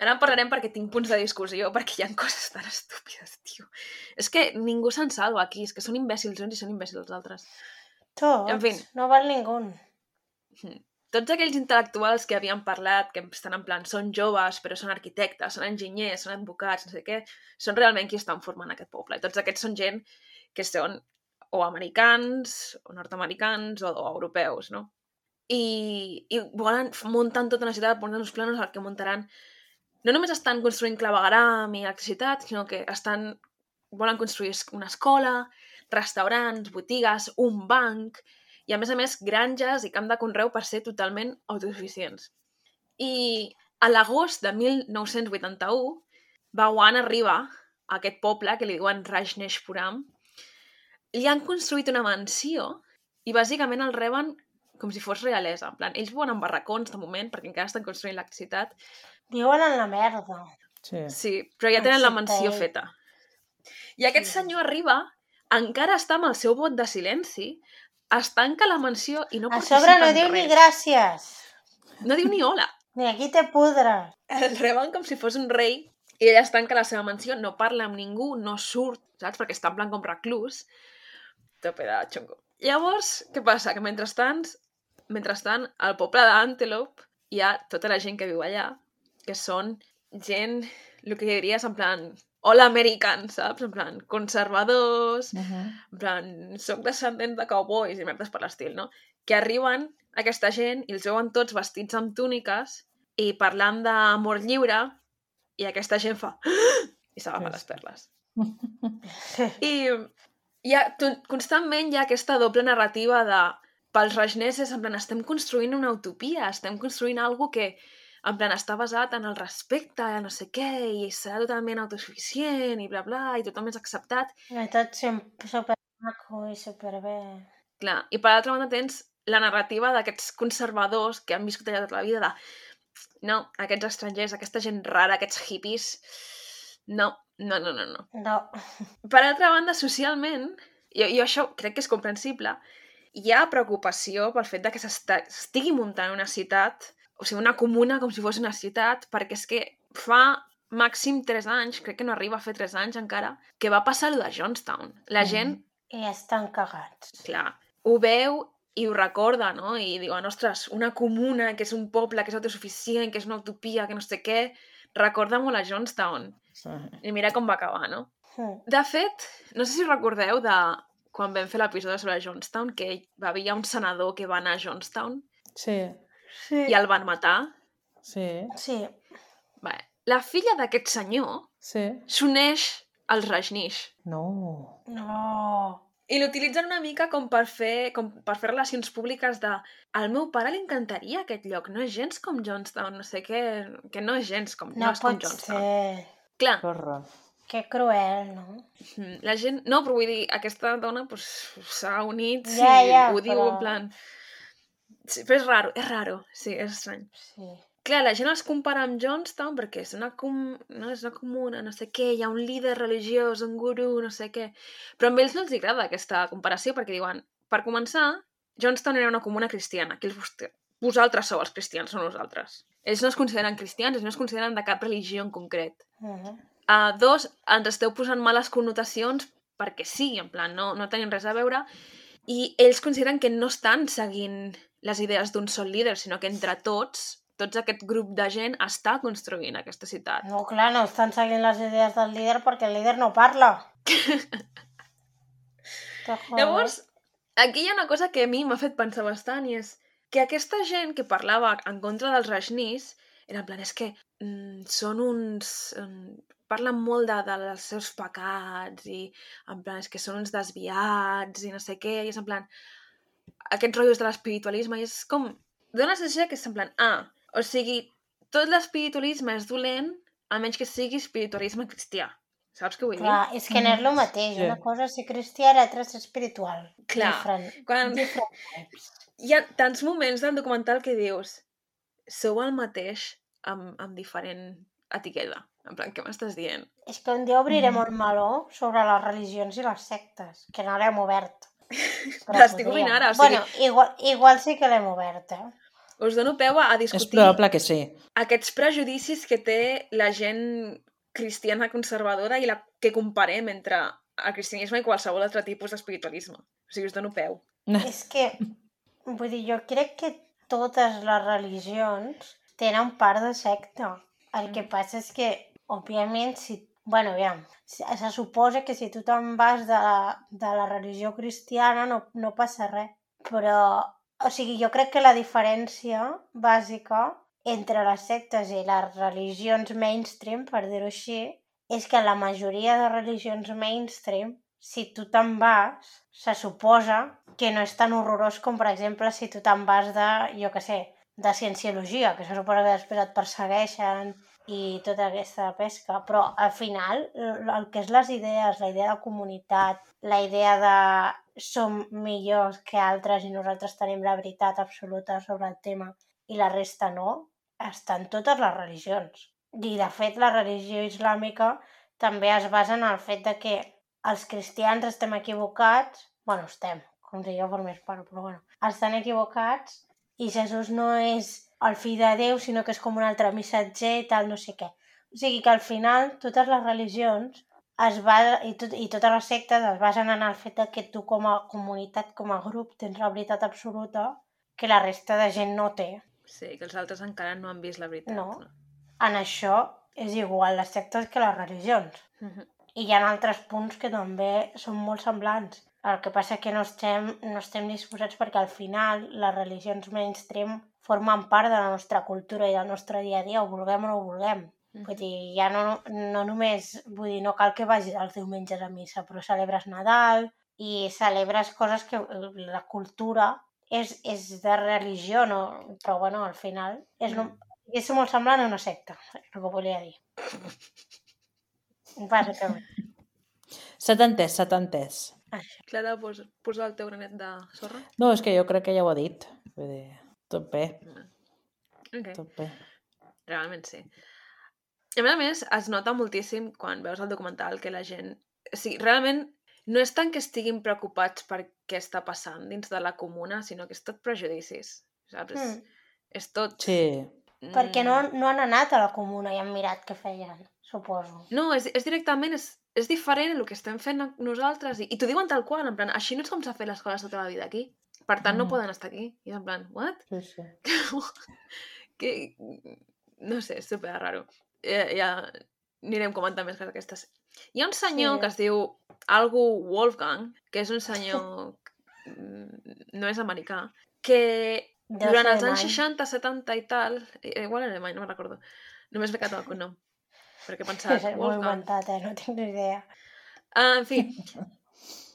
Ara en parlarem perquè tinc punts de discussió, perquè hi ha coses tan estúpides, tio. És que ningú se'n salva aquí, és que són imbècils uns i són imbècils els altres. Tots, En fi. no val ningú. Tots aquells intel·lectuals que havien parlat, que estan en plan, són joves, però són arquitectes, són enginyers, són advocats, no sé què, són realment qui estan formant aquest poble. I tots aquests són gent que són o americans, o nord-americans, o, o europeus, no? I, i volen, munten tota una ciutat, munten uns planos al que muntaran. No només estan construint clavegueram i electricitat, sinó que estan, volen construir una escola, restaurants, botigues, un banc, i a més a més granges i camp de conreu per ser totalment autosuficients. I a l'agost de mil nou-cents vuitanta-u, Bhagwan arriba a aquest poble que li diuen Rajneshpuram, li han construït una mansió i bàsicament el reben com si fos realesa. En plan, ells viuen en barracons de moment perquè encara estan construint electricitat. Viuen en la merda. Sí. Sí, però ja tenen la mansió feta. I aquest Sí. senyor arriba, encara està amb el seu vot de silenci, es tanca la mansió i no A participa sobre no en diu res. ni gràcies. No diu ni hola. Ni aquí te pudres. El reben com si fos un rei i ella es tanca a la seva mansió, no parla amb ningú, no surt, saps? Perquè està en plan com reclús. Tope de xongo. Llavors, què passa? Que mentrestant, mentrestant al poble d'Antelope hi ha tota la gent que viu allà, que són gent, el que diries en plan all American, saps? En plan conservadors, Uh -huh. en plan, soc descendent de cowboys i merdes per l'estil, no? Que arriben aquesta gent i els veuen tots vestits amb túniques i parlant d'amor lliure i aquesta gent fa i s'agafa les perles. I hi ha, constantment hi ha aquesta doble narrativa de pels rajneses, en plan, estem construint una utopia, estem construint algo que en plan, està basat en el respecte, no sé què, i serà totalment autosuficient, i bla, bla, i tothom és acceptat. I tot sempre supermaco i superbé. Clar, i per l'altra banda tens la narrativa d'aquests conservadors que han viscut allà tota la vida de no, aquests estrangers, aquesta gent rara, aquests hippies, no, no, no, no, no. No. Per altra banda, socialment, i, i això crec que és comprensible, hi ha preocupació pel fet de que s'estigui muntant una ciutat, o sigui, una comuna com si fos una ciutat, perquè és que fa màxim tres anys, crec que no arriba a fer tres anys encara, que va passar allò de Johnstown. La gent, I estan cagats. clar, ho veu i ho recorda, no? I diuen, ostres, una comuna que és un poble, que és autosuficient, que és una utopia, que no sé què, recorda molt a Johnstown. Sí. I mira com va acabar, no? Mm. De fet, no sé si recordeu de quan vam fer l'episodi sobre Johnstown, que hi havia un senador que va anar a Johnstown Sí. Sí. i el van matar. Sí. Sí. Bé, la filla d'aquest senyor Sí. s'uneix als Rajneesh No. No. i l'utilitzen una mica com per fer com per fer relacions públiques de al meu pare li encantaria aquest lloc, no és gens com Johnstown, no sé què, que no és gens com, no, No és com pot Johnstown. ser. Clar, Que horror. Que cruel, no? la gent... No, però vull dir, aquesta dona pues, s'ha unit Ja, i ja, ho diu però- en plan... Sí, però és raro, és raro, sí, és estrany. Sí. Clar, la gent els compara amb Johnstown perquè és una, com... no, és una comuna, no sé què, hi ha un líder religiós, un gurú, no sé què... Però a ells no els agrada aquesta comparació perquè diuen, per començar, Johnstown era una comuna cristiana, que ells, vosaltres sou els cristians, no nosaltres. Ells no es consideren cristians, ells no es consideren de cap religió en concret. Uh -huh. Uh, dos, ens esteu posant males connotacions perquè sí, en plan, no, no tenim res a veure, i ells consideren que no estan seguint les idees d'un sol líder, sinó que entre tots, tots aquest grup de gent està construint aquesta ciutat. No, clar, no estan seguint les idees del líder perquè el líder no parla. Llavors, aquí hi ha una cosa que a mi m'ha fet pensar bastant i és que aquesta gent que parlava en contra dels Rajneesh era en plan, és que mm, són uns... Mm, parlen molt de, dels seus pecats i en plan, és que són uns desviats i no sé què, i és en plan aquests rotllos de l'espiritualisme i és com... Dóna la sensació que és en plan, ah, o sigui, tot l'espiritualisme és dolent a menys que sigui espiritualisme cristià. Saps què vull dir? Clar, és que no és el mateix. Sí. Una cosa és ser cristià i l'altra és ser espiritual. Clar, Different. quan- Different types. Hi ha tants moments del documental que dius sou el mateix amb, amb diferent etiqueta. En plan, què m'estàs dient? És que un dia obrirem Mm. un meló sobre les religions i les sectes, que no l'hem obert. Però L'estic podríem. obrint ara, o sigui- Bueno, igual, igual sí que l'hem obert, eh? us dono peu a És discutir probable que sí. aquests prejudicis que té la gent cristiana conservadora i la que comparem entre el cristianisme i qualsevol altre tipus d'espiritualisme. O sigui, us dono peu. És que, vull dir, jo crec que totes les religions tenen part de secta. El que passa és que, òbviament, si... Bueno, aviam, se, se suposa que si tu te'n vas de, de la religió cristiana no, no passa res. Però, o sigui, jo crec que la diferència bàsica entre les sectes i les religions mainstream, per dir-ho així, és que la majoria de religions mainstream, si tu te'n vas, se suposa que no és tan horrorós com, per exemple, si tu te'n vas de, jo què sé, de cienciologia, que se suposa que després et persegueixen i tota aquesta pesca, però al final el que és les idees, la idea de comunitat, la idea de som millors que altres i nosaltres tenim la veritat absoluta sobre el tema i la resta no, està en totes les religions. I de fet la religió islàmica també es basa en el fet de que els cristians estem equivocats, bueno, estem, com si jo formés part, però bueno, estan equivocats i Jesús no és el fill de Déu, sinó que és com un altre missatger i tal, no sé què. O sigui que al final totes les religions es va, i, tot, i totes les sectes es basen en el fet que tu com a comunitat, com a grup, tens la veritat absoluta que la resta de gent no té. Sí, que els altres encara no han vist la veritat. No. En això és igual les sectes que les religions. Uh-huh. I hi ha altres punts que també són molt semblants. El que passa que no estem, no estem disposats perquè al final les religions mainstream formen part de la nostra cultura i del nostre dia a dia, ho vulguem o no ho vulguem. Mm-hmm. Vull dir, ja no, no només, vull dir, no cal que vagis els diumenges a missa, però celebres Nadal i celebres coses que la cultura és, és de religió, no? Però bueno, al final és, no, és molt semblant a una secta, el que volia dir. Bàsicament. S'ha entès, s'ha entès. Clara, vols posar el teu granet de sorra? No, és que jo crec que ja ho ha dit. Vull dir, tot bé. Okay. Tot bé. Realment sí. A més a més, es nota moltíssim quan veus el documental que la gent... O sigui, realment no és tant que estiguin preocupats per què està passant dins de la comuna, sinó que és tot prejudicis, saps? Mm. És tot... Sí. Mm. Perquè no, no han anat a la comuna i han mirat què feien, suposo. No, és, és directament... És... és diferent el que estem fent nosaltres i, i t'ho diuen tal qual, en plan, així no és com s'ha fet les coses tota la vida aquí, per tant no mm. poden estar aquí, i en plan, what? Sí, sí. que, no sé, és super raro. Ja, ja anirem comentant més coses d'aquestes. Hi ha un senyor sí. que es diu algú Wolfgang, que és un senyor no és americà, que Deu durant els anys seixanta, setanta i tal, igual en alemany, no me'n recordo, només m'he quedat el cognom, perquè he pensat, és molt inventat, eh? No tinc ni idea. Uh, en fi,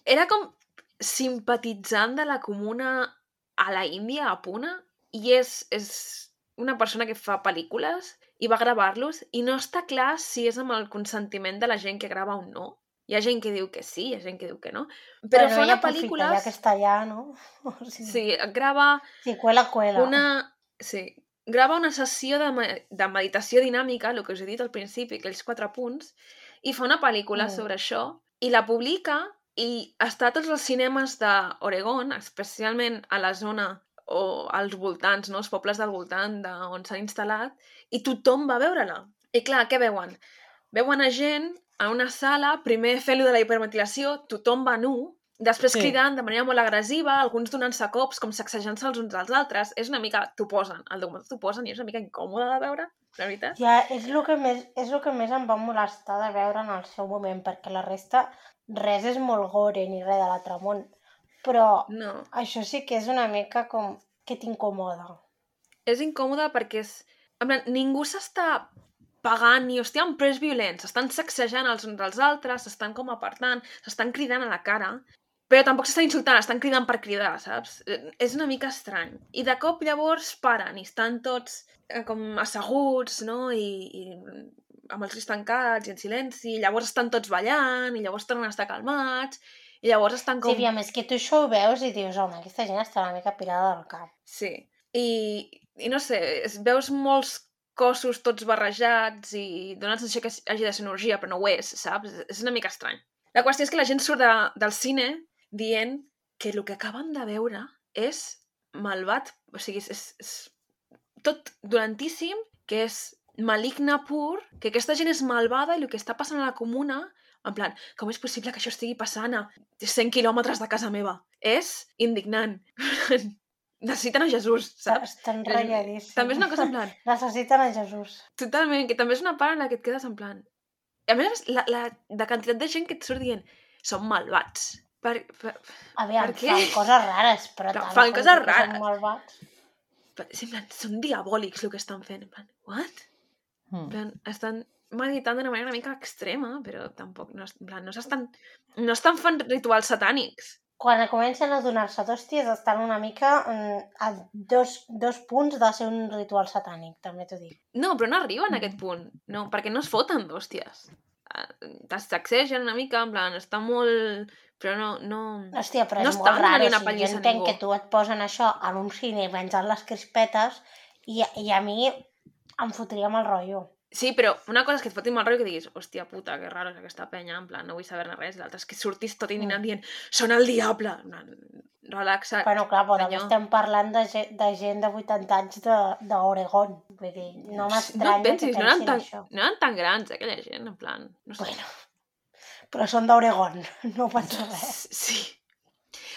era com simpatitzant de la comuna a la Índia, a Pune, i és, és una persona que fa pel·lícules i va gravar-los, i no està clar si és amb el consentiment de la gent que grava o no. Hi ha gent que diu que sí, hi ha gent que diu que no. Però bueno, fa una pel·lícula... Ja que està allà, no? O sigui, sí, grava... Sí, cuela, cuela. Una... Sí, grava una sessió de, me... de meditació dinàmica, el que us he dit al principi, aquells quatre punts, i fa una pel·lícula mm. sobre això, i la publica, i està a tots els cinemes d'Oregon, especialment a la zona o als voltants, no? Els pobles del voltant de on s'ha instal·lat, i tothom va veure-la. I clar, què veuen? Veuen a gent a una sala, primer fent-lo de la hiperventilació, tothom va nu, després sí. cridant de manera molt agressiva, alguns donant-se cops, com sacsejant-se els uns als altres. És una mica... T'ho posen, el documental t'ho posen i és una mica incòmode de veure, la veritat. Ja, és el que més, és el que més em va molestar de veure en el seu moment, perquè la resta, res és molt gore ni res de l'altre món. Però no. Això sí que és una mica com que t'incomoda. És incòmode perquè és... En plan, ningú s'està pagant ni hòstia amb pres violents, s'estan sacsejant els uns als altres, s'estan com apartant, s'estan cridant a la cara, però tampoc s'estan insultant, estan cridant per cridar, saps? És una mica estrany. I de cop llavors paren i estan tots eh, com asseguts, no? I, i amb els ulls tancats i en silenci, i llavors estan tots ballant, i llavors tornen a estar calmats, i llavors estan com... Sí, aviam, és que tu això ho veus i dius, home, aquesta gent està una mica pirada del cap. Sí, i, i no sé, veus molts cossos tots barrejats i donen la sensació que hagi de ser energia, però no ho és, saps? És una mica estrany. La qüestió és que la gent surt de, del cine dient que el que acaben de veure és malvat, o sigui, és, és, tot dolentíssim, que és maligna pur, que aquesta gent és malvada i el que està passant a la comuna, en plan, com és possible que això estigui passant a cent quilòmetres de casa meva? És indignant. Necessiten a Jesús, saps? Estan ratlladíssims. També és una cosa en plan... Necessiten a Jesús. Totalment, que també és una part en la que et quedes en plan... A més, la, la, la quantitat de gent que et surt dient són malvats. Per, per, Aviam, per què? fan coses rares, però Però tant fan com coses que rares. Són malvats. Per, en plan, són diabòlics el que estan fent. En plan, what? Hmm. En plan, estan meditant d'una manera una mica extrema, però tampoc... No, en plan, no s'estan... No estan fent rituals satànics. Quan comencen a donar-se d'hòsties estan una mica mm, a dos, dos punts de ser un ritual satànic, també t'ho dic. No, però no arriben a aquest punt. No, perquè no es foten d'hòsties. T'accegen una mica, en plan, està molt... Però no... no... Hòstia, però no és estan molt raro. donant una O sigui, jo pallissa a entenc ningú. que tu et posen això en un cine menjant les crispetes i, i a mi em fotria mal rotllo. Sí, però una cosa és que et fotin mal rotllo que diguis, hòstia puta, que raro és aquesta penya, en plan, no vull saber-ne res, i l'altre és que surtis tot indignant dient, són el diable, en plan, relaxa't. Bueno, clar, però també senyor. estem parlant de, ge- de gent de vuitanta anys de- d'Oregon. Vull dir, no m'estranya No et pensis, que no eren, pensin tan, això. no eren tan grans, eh, aquella gent, en plan, no sé. Bueno, però són d'Oregon, no passa res. Sí.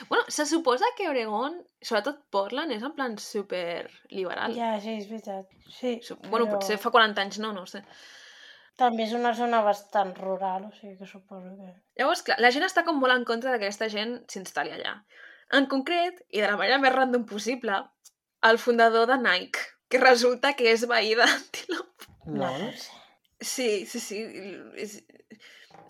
Bueno, se suposa que Oregon, sobretot Portland, és en plan super liberal. Ja, sí, és veritat. Sí, Su- Bueno, però potser fa quaranta anys no, no ho sé. també és una zona bastant rural, o sigui que suposo que... Llavors, clar, la gent està com molt en contra que aquesta gent s'instal·li allà. En concret, i de la manera més random possible, el fundador de Nike, que resulta que és veí d'Antelope. No Lol. pot ser. Sí, sí, sí. És,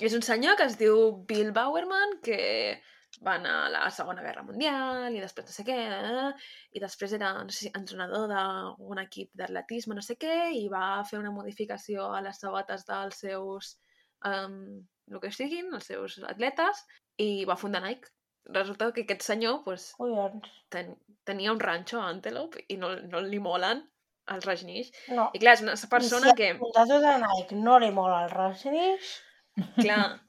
és un senyor que es diu Bill Bowerman, que va anar a la Segona Guerra Mundial i després no sé què, eh? I després era, no sé si, entrenador d'un equip d'atletisme, no sé què, i va fer una modificació a les sabates dels seus, um, el que siguin, els seus atletes, i va fundar Nike. Resulta que aquest senyor pues, Collons. ten, tenia un ranxo a Antelope i no, no li molen els rajneesh. No. I clar, és una I persona si que... al fundador de Nike no li mola el Rajneesh, Clar,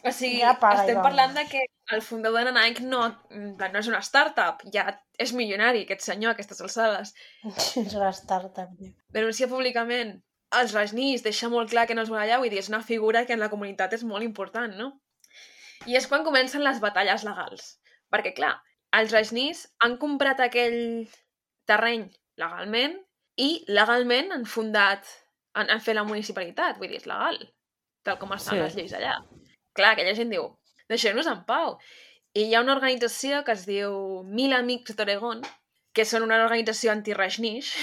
o sigui, Ja paga, estem ja. parlant de que el fundador de Nike no, en plan, no és una startup, ja és milionari aquest senyor a aquestes alçades. és una startup. tio. Denuncia públicament els rajneesh, deixa molt clar que no es vol allà, vull dir, és una figura que en la comunitat és molt important, no? I és quan comencen les batalles legals. Perquè, clar, els rajneesh han comprat aquell terreny legalment i legalment han fundat, han, han fet la municipalitat, vull dir, és legal, tal com estan Sí. les lleis allà. Clar, aquella gent diu, deixeu-nos en pau. I hi ha una organització que es diu Mil Amics d'Oregon, que són una organització anti-rajneesh,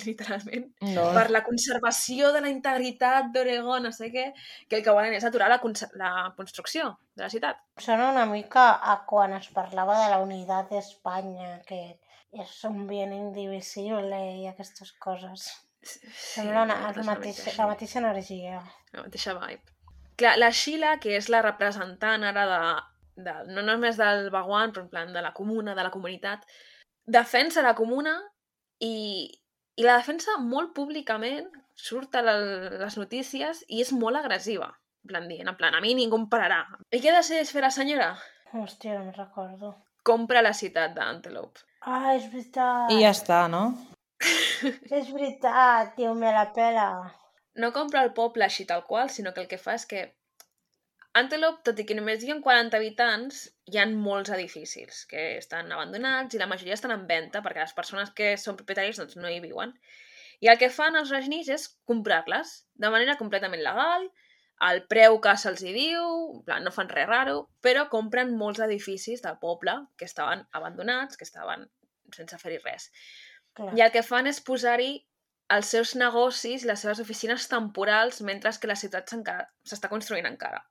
literalment, No. per la conservació de la integritat d'Oregon, no sé què, que el que volen és aturar la, conse- la construcció de la ciutat. Sona una mica a quan es parlava de la unitat d'Espanya, que és un bien indivisible i aquestes coses. Sembla una, és el una mateix, mica la així. mateixa energia. La mateixa vibe. Clar, la Sheila, que és la representant ara de, de no només del Baguan, però en plan de la comuna, de la comunitat, defensa la comuna i, i la defensa molt públicament, surt a la, les notícies i és molt agressiva. En plan, dient, en plan, a mi ningú em pararà. I què decideix fer la senyora? Hòstia, no me'n recordo. Compra la ciutat d'Antelope. Ah, és veritat. I ja està, no? És veritat, tio, me la pela. No compra el poble així tal qual, sinó que el que fa és que Antelope, tot i que només hi ha quaranta habitants, hi ha molts edificis que estan abandonats i la majoria estan en venda perquè les persones que són propietaris doncs, no hi viuen. I el que fan els rajneesh és comprar-les de manera completament legal, al preu que se'ls hi diu, en plan, no fan res raro, però compren molts edificis del poble que estaven abandonats, que estaven sense fer-hi res. Clar. I el que fan és posar-hi els seus negocis, les seves oficines temporals, mentre que la ciutat s'encara- s'està construint encara.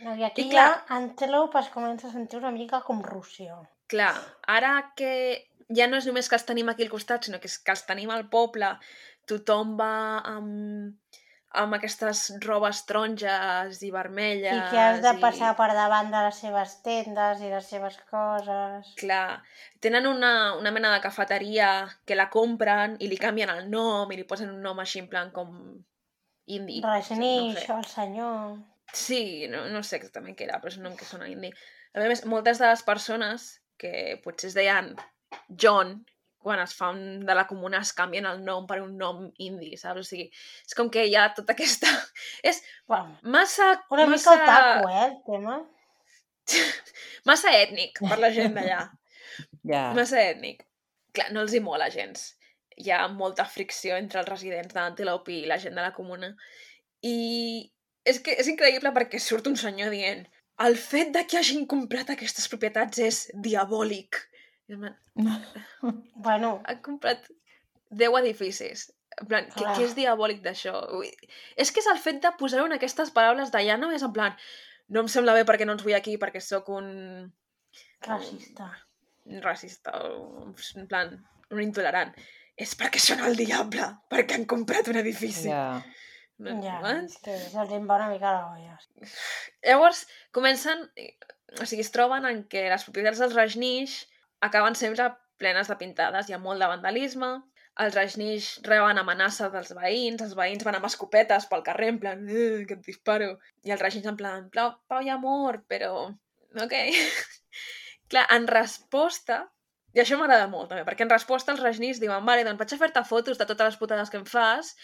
No, I aquí I ja clar- Antelope es comença a sentir una mica com Rússia. Clar, ara que ja no és només que els tenim aquí al costat, sinó que és que els tenim al poble, tothom va amb, amb aquestes robes taronges i vermelles. I que has de i- passar per davant de les seves tendes i les seves coses. Clar, tenen una, una mena de cafeteria que la compren i li canvien el nom i li posen un nom així en plan com indi. Rajneesh, no el senyor... Sí, no, no sé exactament què era, però és un nom que sona indi. A més, moltes de les persones que potser es deien John quan es fa un, de la comuna es canvien el nom per un nom indi, saps? O sigui, és com que hi ha tota aquesta... És Bueno, massa... una massa... mica otaku, eh, el tema. Massa ètnic per la gent d'allà. Ja. Massa ètnic. Clar, no els hi mola gens. Hi ha molta fricció entre els residents d'Antelope i la gent de la comuna. I és que és increïble perquè surt un senyor dient el fet de que hagin comprat aquestes propietats és diabòlic. I man, Bueno, han comprat deu edificis. En plan, què, Clar. què és diabòlic d'això? Ui, és que és el fet de posar-ho en aquestes paraules d'allà, no és en plan no em sembla bé perquè no ens vull aquí perquè sóc un... racista. racista o en plan, un intolerant. És perquè són el diable, perquè han comprat un edifici. Ja. No, Ja, what? és que se'ls en va una mica la olla. Llavors, comencen... O sigui, es troben en què les propietats dels Rajneesh acaben sempre plenes de pintades. Hi ha molt de vandalisme. Els Rajneesh reben amenaça dels veïns. Els veïns van amb escopetes pel carrer, en plan, eh, que et disparo. I els Rajneesh en plan, pau, pau i amor, però... Ok. Clar, en resposta... I això m'agrada molt, també, perquè en resposta els Rajneesh diuen vale, doncs vaig a fer-te fotos de totes les putades que em fas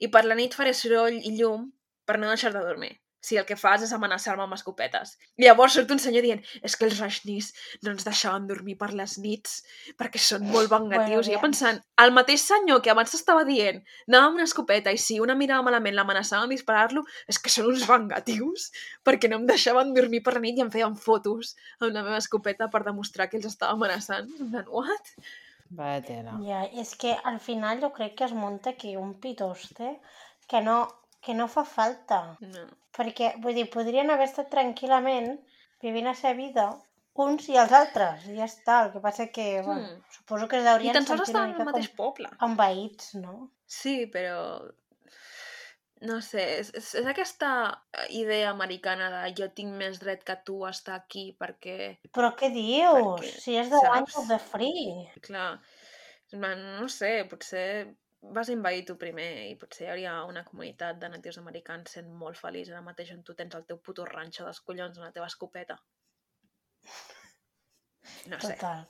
i per la nit faré soroll i llum per no deixar de dormir. Si el que fas és amenaçar-me amb escopetes. I llavors surt un senyor dient és que els Rajneesh no ens deixaven dormir per les nits perquè són molt vengatius. Bueno, I jo ja. pensant, el mateix senyor que abans t'estava dient anava amb una escopeta i si una mirava malament l'amenaçava amb disparar-lo, és que són uns vengatius perquè no em deixaven dormir per la nit i em feien fotos amb la meva escopeta per demostrar que els estava amenaçant. En plan, what? Vaya tela. Ja, és que al final jo crec que es munta aquí un pitoste que no, que no fa falta. No. Perquè, vull dir, podrien haver estat tranquil·lament vivint la seva vida uns i els altres, i ja està. El que passa que, bueno, Hmm. suposo que es I deurien tan sols sentir estaven una al mica mateix com poble. envaïts, no? Sí, però... No sé, és, és, és aquesta idea americana de jo tinc més dret que tu a estar aquí perquè... Però què dius? Perquè, Si és de one saps? of the free. Clar, en plan, no sé, potser vas invadir tu primer i potser hi hauria una comunitat de natius americans sent molt feliç ara mateix on tu tens el teu puto ranxo dels collons amb la teva escopeta. No sé. Total.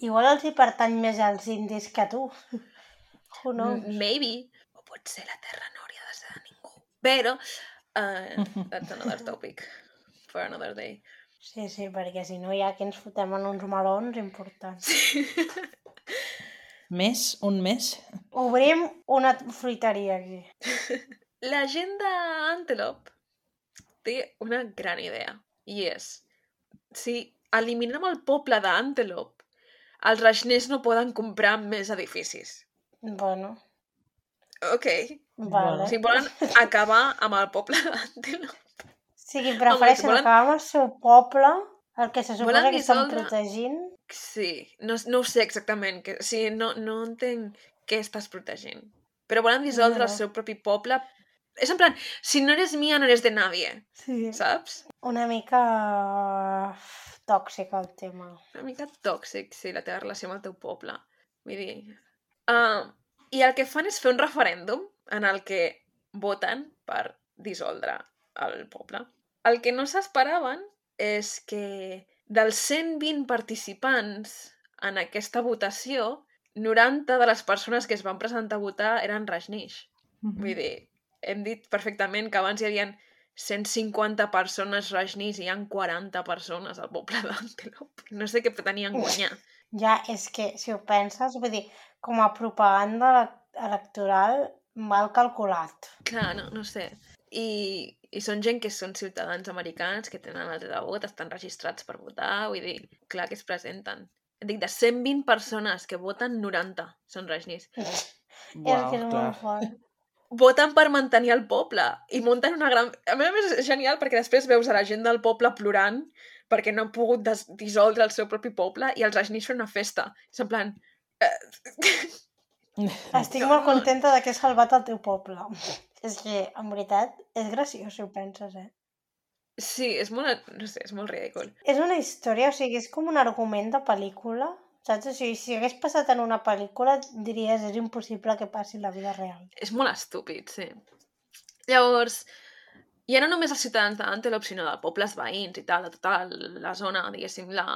Igual els hi pertany més als indis que a tu. Who knows? M- Maybe. O potser la terra no hauria de ser de ningú. Però, uh, that's another topic for another day. Sí, sí, perquè si no ja que ens fotem en uns melons importants. Més? Un mes? Obrim una fruiteria aquí. La gent d'Antelope té una gran idea. I és, si eliminem el poble d'Antelope, els Rajneesh no poden comprar més edificis. Bueno, Ok. vale. Si volen acabar amb el poble d'Antelope. O sigui, Home, prefereixen volen- acabar amb el seu poble, el que se suposa Volen que estan dissoldre- protegint. Sí, no, no ho sé exactament. Que, sí, no, no entenc què estàs protegint. Però volen dissoldre No. el seu propi poble. És en plan, si no eres mía, no eres de nadie. Sí. Saps? Una mica tòxic el tema. Una mica tòxic, sí, la teva relació amb el teu poble. Vull dir... Uh, I el que fan és fer un referèndum en el que voten per dissoldre el poble. El que no s'esperaven és que dels cent vint participants en aquesta votació, noranta de les persones que es van presentar a votar eren Rajneesh. Vull dir, hem dit perfectament que abans hi havia cent cinquanta persones Rajneesh i hi ha quaranta persones al poble d'Antelope. No sé què pretenien guanyar. Ja, és que, si ho penses, vull dir, com a propaganda ele- electoral, mal calculat. Clar, no, no sé. I, I són gent que són ciutadans americans, que tenen el dret de vot, estan registrats per votar, vull dir, clar que es presenten. Dic, de cent vint persones que voten, noranta són Rajneesh. és Uau, que és clar. molt fort. Voten per mantenir el poble i munten una gran... A més a més és genial perquè després veus a la gent del poble plorant perquè no han pogut des- dissoldre el seu propi poble i els Rajneesh fan una festa. És en plan... Eh... Estic No, molt no. contenta de que he salvat el teu poble. És que, en veritat, és graciós si ho penses, eh? Sí, és molt... No sé, és molt ridícul. És una història, o sigui, és com un argument de pel·lícula, saps? O sigui, si hagués passat en una pel·lícula, diries, és impossible que passi en la vida real. És molt estúpid, sí. Llavors, ja no només els ciutadans d'Antelope, sinó de pobles veïns i tal, de tota la zona, diguéssim, la,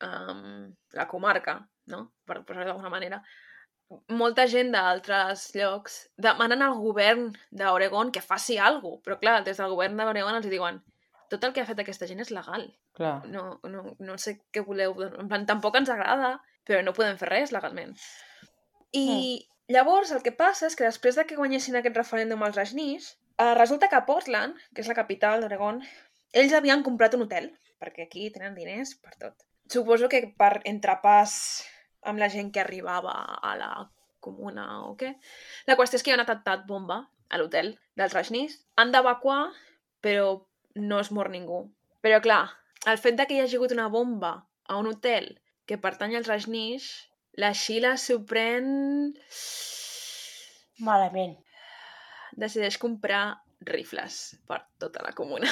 um, la comarca, no? Per posar-ho d'alguna manera. Molta gent d'altres llocs demanen al govern d'Oregon que faci alguna cosa, però clar, des del govern d'Oregon els diuen tot el que ha fet aquesta gent és legal. Clar. No, no, no sé què voleu... En plan, tampoc ens agrada, però no podem fer res legalment. I mm. llavors el que passa és que després de que guanyessin aquest referèndum als Rajneesh, eh, resulta que a Portland, que és la capital d'Oregon, ells havien comprat un hotel, perquè aquí tenen diners per tot. Suposo que per entrepàs amb la gent que arribava a la comuna o què. La qüestió és que hi ha un atemptat bomba a l'hotel dels Rajneesh. Han d'evacuar, però no es mor ningú. Però clar, el fet de que hi hagi hagut una bomba a un hotel que pertany als Rajneesh, la Sheila s'ho pren... Malament. Decideix comprar rifles per tota la comuna.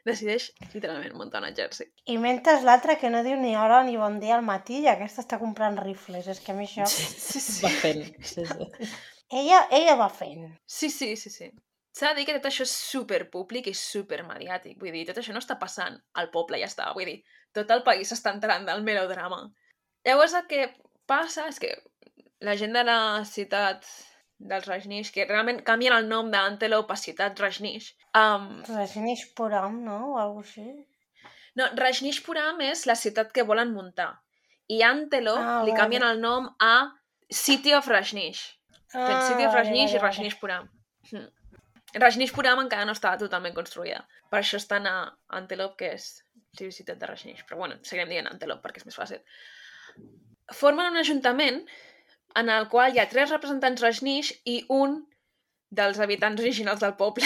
Decideix, literalment, muntar un exèrcit. I mentre l'altra que no diu ni hora ni bon dia al matí i aquesta està comprant rifles. És que a mi això... Sí, sí, sí. Va fent. Sí, sí. Ella, ella va fent. Sí, sí, sí, sí. S'ha de dir que tot això és superpúblic i supermediàtic. Vull dir, tot això no està passant al poble, ja està. Vull dir, tot el país s'està entrant del melodrama. Llavors el que passa és que la gent de la ciutat dels Rajneesh, que realment canvien el nom d'Antelope a ciutat Rajneesh. Um... Rajneeshpuram, no? O alguna cosa així. No, Rajneeshpuram és la ciutat que volen muntar. I Antelope Ah, li vale. canvien el nom a City of Rajneesh. Ah, City of vale, Rajneesh vale, i Rajneeshpuram. Hm. Rajneeshpuram encara no estava totalment construïda. Per això estan a Antelope, que és ciutat de Rajneesh. Però bueno, seguirem dient Antelope perquè és més fàcil. Formen un ajuntament en el qual hi ha tres representants Rajneesh i un dels habitants originals del poble.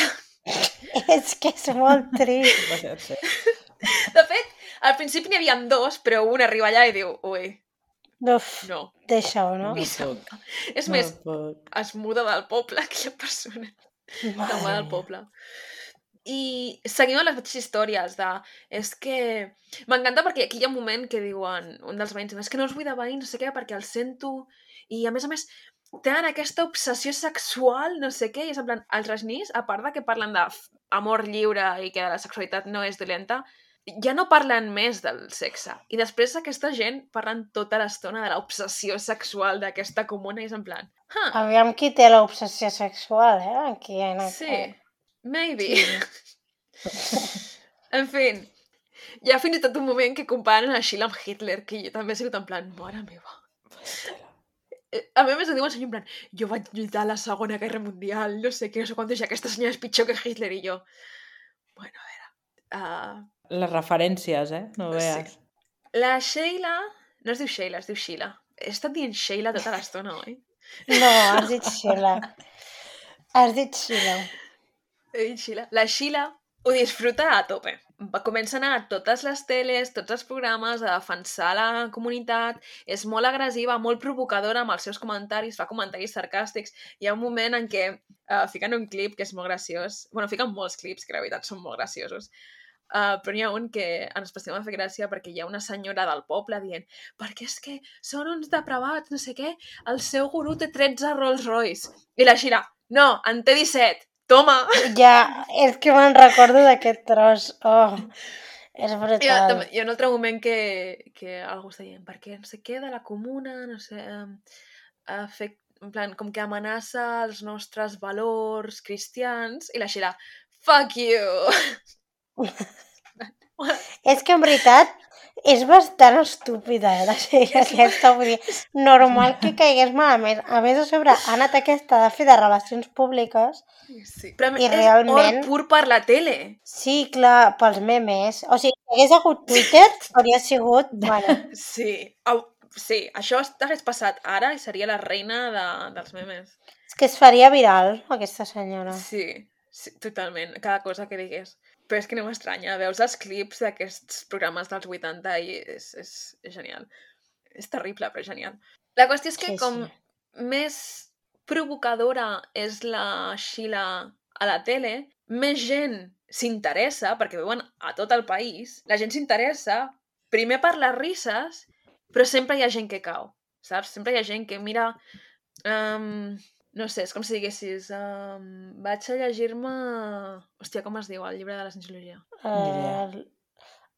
És que és molt trist. De fet, al principi n'hi havia dos, però un arriba allà i diu, ui, Uf, no. deixa-ho, no? No puc. És No més, puc. es muda del poble, aquella persona. Es muda del poble. I seguim amb les mateixes històries de... És que... M'encanta perquè aquí hi ha un moment que diuen un dels veïns, és que no us vull de veïns, no sé què, perquè el sento... I a més a més, tenen aquesta obsessió sexual, no sé què, i és en plan, els Rajneesh, a part de que parlen d'amor lliure i que la sexualitat no és dolenta, ja no parlen més del sexe. I després aquesta gent parlen tota l'estona de l'obsessió sexual d'aquesta comuna i és en plan... Huh, Aviam qui té l'obsessió sexual, eh? Aquí, en sí, maybe. En fi, hi ha fins i tot un moment que comparen a Sheila amb Hitler, que jo també he sigut en plan, mare meva. A mi més ho diuen senyor en plan, jo vaig lluitar a la Segona Guerra Mundial, no sé què, no sé quantos, i aquesta senyora és pitjor que Hitler, i jo... Bueno, a veure... Uh... Les referències, eh? No veas. Sí. La Sheila... No es diu Sheila, es diu Sheila. He estat dient Sheila tota l'estona, oi? No, has dit Sheila. Has dit Sheila. He dit Sheila. La Sheila ho disfruta a tope. Va començar a anar a totes les teles, tots els programes, a defensar la comunitat, és molt agressiva, molt provocadora amb els seus comentaris, fa comentaris sarcàstics. Hi ha un moment en què uh, fiquen un clip que és molt graciós. Bueno, fiquen molts clips que la veritat són molt graciosos. Uh, però n'hi ha un que en especial m'ha fet gràcia perquè hi ha una senyora del poble dient perquè és que són uns depravats, no sé què, el seu gurú té tretze Rolls Royce. I la Sheila, no, en té disset, toma! Ja, és que me'n recordo d'aquest tros. Oh, és brutal. Hi ha, hi ha un altre moment que, que algú està dient perquè no sé què de la comuna, no sé, uh, fet, en plan, com que amenaça els nostres valors cristians, i la Sheila, fuck you! És que en veritat és bastant estúpida, eh, la sèrie aquesta, vull dir, normal que caigués malament. A més, a sobre, ha anat aquesta de fer de relacions públiques. Sí, però I és realment... or pur per la tele. Sí, clar, pels memes. O sigui, si hagués hagut Twitter, hauria sigut... Bueno, Sí, Au, sí, això hagués passat ara i seria la reina de, dels memes. és que es faria viral, aquesta senyora. Sí, sí, totalment, cada cosa que digués. Però és que no m'estranya, veus els clips d'aquests programes dels vuitanta i és, és, és genial. És terrible, però genial. La qüestió és que Sí, com sí. més provocadora és la Sheila a la tele, més gent s'interessa, perquè veuen a tot el país, la gent s'interessa primer per les risses, però sempre hi ha gent que cau, saps? Sempre hi ha gent que mira... Um, no sé, és com si diguessis um, vaig a llegir-me... Hòstia, com es diu el llibre de la cienciologia? Uh,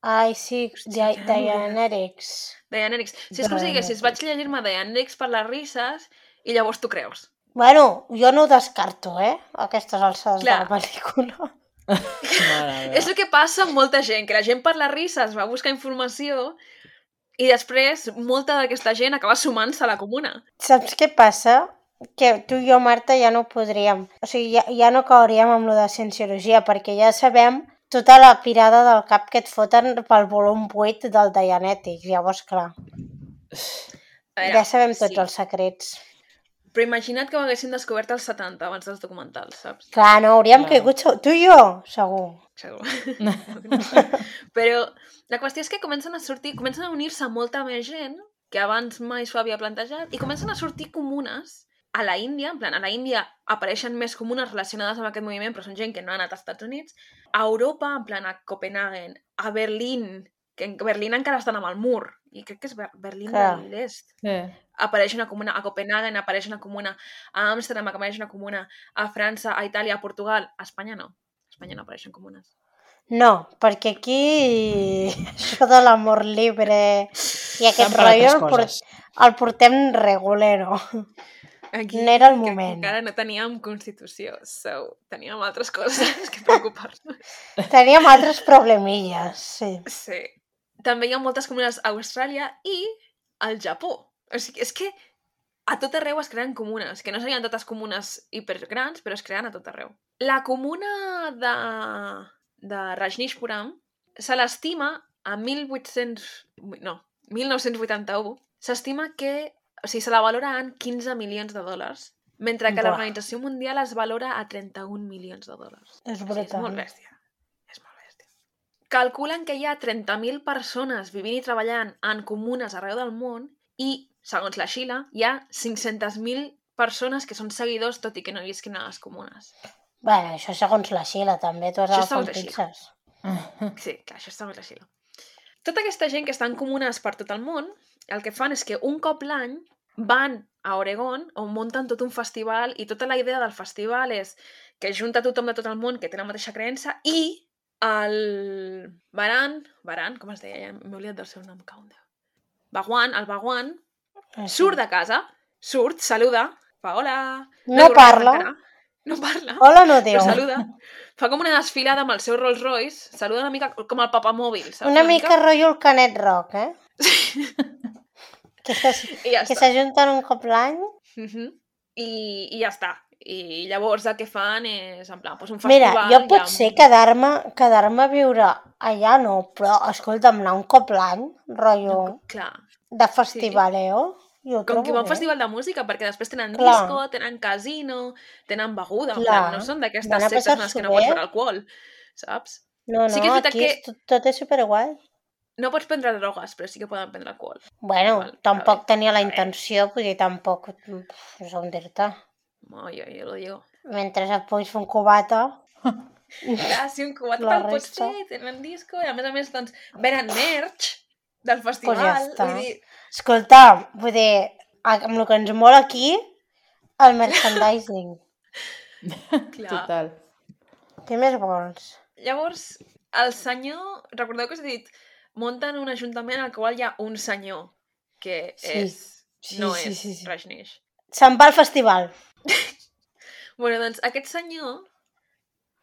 Ai, sí, Hòstia, Di- que no Dianetics. Dianetics. Si és com si diguessis, vaig llegir-me Dianetics per les risses i llavors tu creus. Bueno, jo no ho descarto, eh? A aquestes alçades de Clar. la pel·lícula. Mare És el que passa amb molta gent, que la gent per les risses va buscar informació i després molta d'aquesta gent acaba sumant-se a la comuna. Saps què passa? Que tu i jo, Marta, ja no podríem... O sigui, ja, ja no cauríem amb lo de cienciologia, perquè ja sabem tota la pirada del cap que et foten pel volum vuit del Dianetics. Llavors, clar, A veure, ja sabem tots sí. els secrets. Però imagina't que ho haguessin descobert als setanta abans dels documentals, saps? Clar, no, hauríem Clar. caigut... segur- Tu i jo, segur. Segur. Però la qüestió és que comencen a sortir, comencen a unir-se molta més gent que abans mai s'ho havia plantejat i comencen a sortir comunes a la Índia, en plan, a la Índia apareixen més comunes relacionades amb aquest moviment, però són gent que no ha anat als Estats Units, a Europa, en plan, a Copenhagen, a Berlín, que en Berlín encara estan amb el mur, i crec que és Ber Berlín Clar. de l'Est. Sí. Apareix una comuna, a Copenhagen apareix una comuna, a Amsterdam apareix una comuna, a França, a Itàlia, a Portugal, a Espanya no. A Espanya no apareixen comunes. No, perquè aquí això de l'amor libre i aquest Estan per rotllo altres el, port, coses. el portem regulero. Aquí, No era el que moment. encara no teníem Constitució, so, teníem altres coses que preocupar-nos. Teníem altres problemilles, sí. Sí. També hi ha moltes comunes a Austràlia i al Japó. O sigui, és que a tot arreu es creen comunes, que no serien totes comunes hipergrans, però es creen a tot arreu. La comuna de, de Rajneeshpuram se l'estima a mil vuit-cents... No, mil nou-cents vuitanta-u, s'estima que... O sigui, se la valora en quinze milions de dòlars, mentre que Buah. l'Organització Mundial es valora a trenta-un milions de dòlars. És O sigui, és brutal. molt bèstia. És molt bèstia. Calculen que hi ha trenta mil persones vivint i treballant en comunes arreu del món i, segons la Xila, hi ha cinc-centes mil persones que són seguidors tot i que no visquin a les comunes. Bueno, això segons la Xila, també. Tu has Això agafat segons la Xila. pinces. Sí, clar, això és segons la Xila. Tota aquesta gent que està en comunes per tot el món, el que fan és que un cop l'any van a Oregon, on munten tot un festival, i tota la idea del festival és que junta tothom de tot el món que té la mateixa creença, i el Baran, Baran, com es deia? Ja m'he oblidat del seu nom, Countdown. Baguan, el Baguan, Ah, sí. surt de casa, surt, saluda, fa hola... No diu res parla. encara, No parla, Hola no diu. però saluda. Fa com una desfilada amb el seu Rolls Royce, saluda una mica com el papamòbil, saps? Una mica rotllo el Canet Rock, eh? Que s'as- I ja que està. s'ajunten un cop l'any. Mhm. I, I ja està. I llavors el que fan és, en plan, doncs un Mira, festival... jo hi ha pot un- ser quedar-me quedar a viure allà, no, però escolta'm, anar un cop l'any, rotllo Clar, de festivaleo, jo ho com que trobo va a un bé. festival de música, perquè després tenen Clar. disco, tenen casino, tenen beguda, en Clar. plan, no són d'aquestes Van a sectes en les passar-s'ho que no pots bé. beure alcohol, saps? No, no, Sí que és veritat aquí que- és tot, tot és superguai. No pots prendre drogues, però sí que poden prendre alcohol. Bueno, Igual, tampoc a tenia la a veure. intenció, vull dir, tampoc, no sé on dir-te. No, jo, jo lo digo. Mentre et puguis fer un cubata, Clar, si un cubat La te'l pots resta. fer, tenen disco, i a més a més, doncs, venen merch del festival. ja està. Vull dir, escolta, vull dir, amb el que ens mola aquí, el merchandising. clar. Total. Què més vols? Llavors, el senyor, recordeu que us he dit, munten un ajuntament al qual hi ha un senyor, que Sí. és, Sí, no sí, és sí, sí. Rajneesh. Se'n va al festival. Bueno, doncs aquest senyor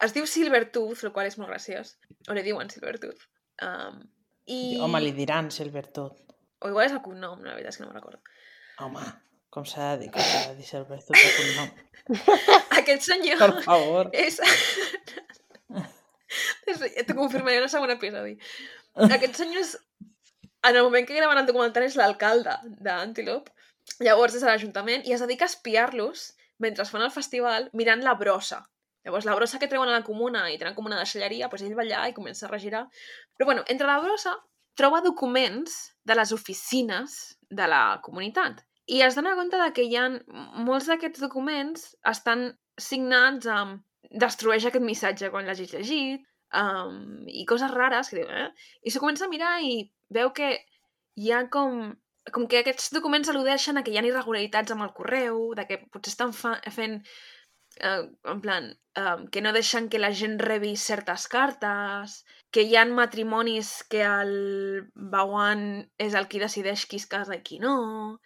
es diu Silvertooth, el qual és molt graciós. O li diuen Silvertooth. Um, i... Home, li diran Silvertooth. O igual és el cognom, la veritat és que no me'n recordo. Home, com s'ha de dir, com s'ha de dir Silvertooth de cognom? Aquest senyor Per favor. és... T'ho confirmaré en el segon episodi. Aquest senyor és... En el moment que graven el documental és l'alcalde d'Antelope. Llavors és a l'Ajuntament i es dedica a espiar-los mentre fan el festival mirant la brossa. Llavors la brossa que treuen a la comuna i tenen com una deixalleria, doncs ell va allà i comença a regirar. Però bueno, entre la brossa troba documents de les oficines de la comunitat. I es dona compte de que hi ha molts d'aquests documents estan signats amb destrueix aquest missatge quan l'hagis llegit, um, i coses rares que diu, eh? I s'ho comença a mirar i veu que hi ha com... com que aquests documents al·ludeixen a que hi ha irregularitats amb el correu, de que potser estan fa fent Uh, en plan, um, que no deixen que la gent rebi certes cartes, que hi ha matrimonis que el Bhagwan és el qui decideix qui es casa i qui no...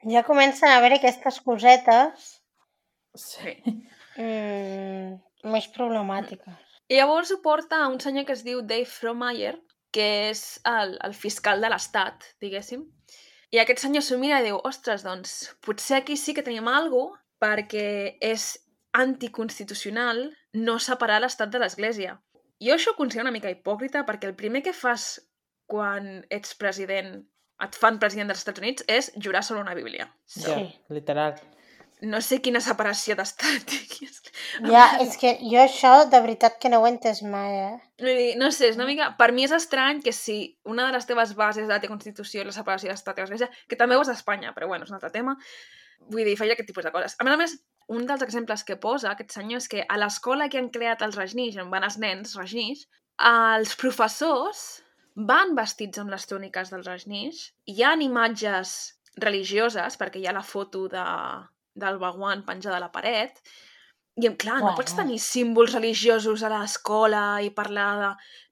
Ja comencen a haver aquestes cosetes Sí. mm, més problemàtiques. I llavors ho porta a un senyor que es diu Dave Frohmeyer, que és el, el fiscal de l'estat, diguéssim. I aquest senyor s'ho mira i diu, ostres, doncs, potser aquí sí que tenim alguna cosa perquè és anticonstitucional no separar l'estat de l'església. Jo això ho considero una mica hipòcrita perquè el primer que fas quan ets president, et fan president dels Estats Units, és jurar sobre una bíblia. Ja, Sí. literal. No sé quina separació d'estat. Ja, és que jo això de veritat que no ho he entès mai, eh? Vull dir, no sé, és una mica... Per mi és estrany que si una de les teves bases de la teva Constitució és la separació d'estat i l'església, que també ho és a Espanya, però bueno, és un altre tema, vull dir, feia aquest tipus de coses. A més a més, un dels exemples que posa aquest senyor és que a l'escola que han creat els Rajneesh, on van els nens Rajneesh, els professors van vestits amb les túniques dels Rajneesh, hi ha imatges religioses, perquè hi ha la foto de, del Bhagwan penjada a la paret, i clar, no Bueno. pots tenir símbols religiosos a l'escola i parlar de...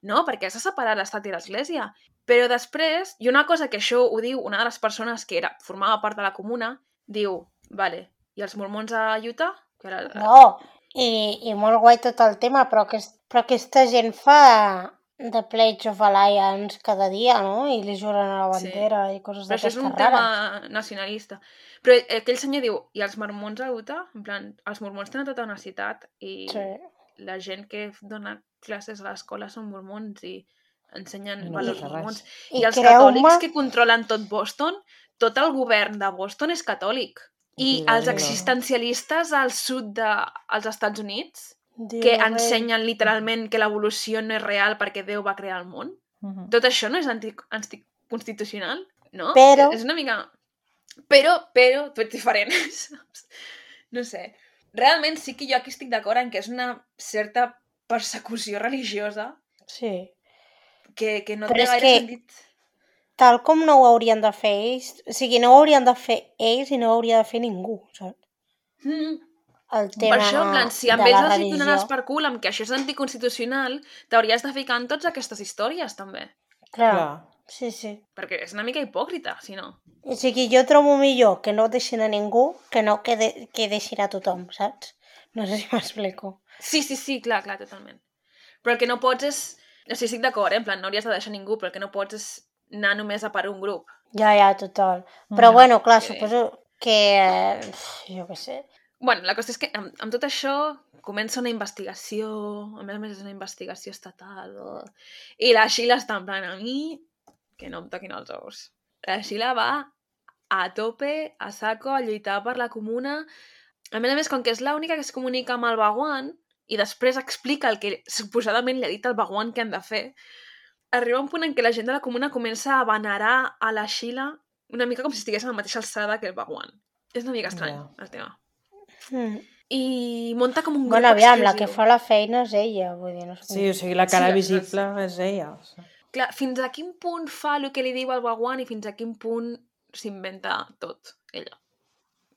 No, perquè has de separar l'estat i l'església. Però després, i una cosa que això ho diu una de les persones que era, formava part de la comuna, diu, vale, i els mormons a Utah? Que era... No, i, i molt guai tot el tema, però, aquest, però aquesta gent fa The Pledge of Alliance cada dia, no? I li juren a la bandera sí. I coses Però això és d'aquestes un rares. tema nacionalista. Però aquell senyor diu, i els mormons a Utah? En plan, els mormons tenen tota una ciutat i Sí. la gent que dona classes a l'escola són mormons i ensenyen I no valors passa res. mormons. I I els creu-me- catòlics que controlen tot Boston, tot el govern de Boston és catòlic. I Déu-n'hi-do. els existencialistes al sud dels Estats Units, Déu que rei. ensenyen literalment que l'evolució no és real perquè Déu va crear el món, Mhm. tot això no és anti- anticonstitucional, no? Però- És una mica... Però, però, tu ets diferent, saps? No sé. Realment sí que jo aquí estic d'acord en que és una certa persecució religiosa Sí. que, que no Però té és gaire que- sentit. Tal com no ho haurien de fer ells, o sigui, no ho haurien de fer ells i no ho hauria de fer ningú, saps? Mm. El tema Per això, en plan, si amb de ells la els hi religió. donaràs per cul amb que això és anticonstitucional, t'hauries de ficar en totes aquestes històries, també. Clar, Clar. sí, sí. Perquè és una mica hipòcrita, si no. O sigui, jo trobo millor que no deixin a ningú que no que, de, que deixin a tothom, saps? No sé si m'explico. Sí, sí, sí, clar, clar, totalment. Però el que no pots és... O sigui, estic d'acord, eh? En plan, no hauries de deixar ningú, però el que no pots és anar només a per un grup. Ja, ja, total. Però Mhm. bueno, clar, Sí. suposo que... eh, jo què sé. Bueno, la qüestió és que amb, amb tot això comença una investigació, a més a més és una investigació estatal, o... i la Sheila està en plan, a mi, que no em toquin els ous. La Sheila va a tope, a saco, a lluitar per la comuna. A més a més, com que és l'única que es comunica amb el Bhagwan, i després explica el que suposadament li ha dit el Bhagwan que han de fer, arriba un punt en què la gent de la comuna comença a venerar a la Sheila una mica com si estigués a la mateixa alçada que el Bhagwan. És una mica estrany, Ja. el tema. Mm. I munta com un grup Bueno, aviam, la que exclusiu. fa la feina és ella, vull dir, no sé. Sí, o sigui, la cara Sí, visible és ella. O sigui. Clar, fins a quin punt fa el que li diu el Bhagwan i fins a quin punt s'inventa tot, ella.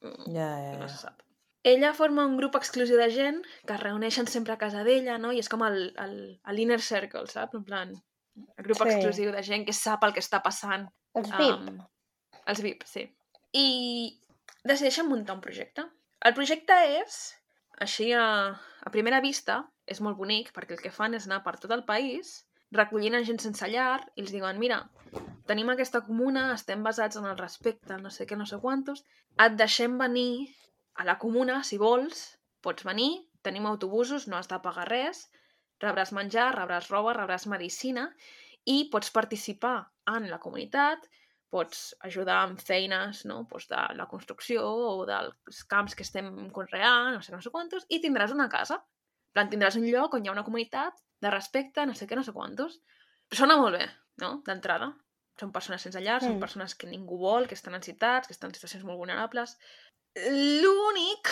Mm, Ja, ja, No ja. se sap. Ella forma un grup exclusiu de gent que es reuneixen sempre a casa d'ella, no? I és com el, el, l'inner circle, saps? En plan, el grup Sí. exclusiu de gent que sap el que està passant. Els V I P. Um, els V I P, sí. I decideixen muntar un projecte. El projecte és, així a, a primera vista, és molt bonic, perquè el que fan és anar per tot el país recollint a gent sense llar i els diuen, mira, tenim aquesta comuna, estem basats en el respecte, no sé què, no sé quantos, et deixem venir a la comuna, si vols, pots venir, tenim autobusos, no has de pagar res, rebràs menjar, rebràs roba, rebràs medicina i pots participar en la comunitat, pots ajudar amb feines, no? Pues de la construcció o dels camps que estem conreant, no sé, no sé quantos, i tindràs una casa. En plan, tindràs un lloc on hi ha una comunitat de respecte, no sé què, no sé quantos. Sona molt bé, no?, d'entrada. Són persones sense llar, mm. són Mm. persones que ningú vol, que estan en ciutats, que estan en situacions molt vulnerables. L'únic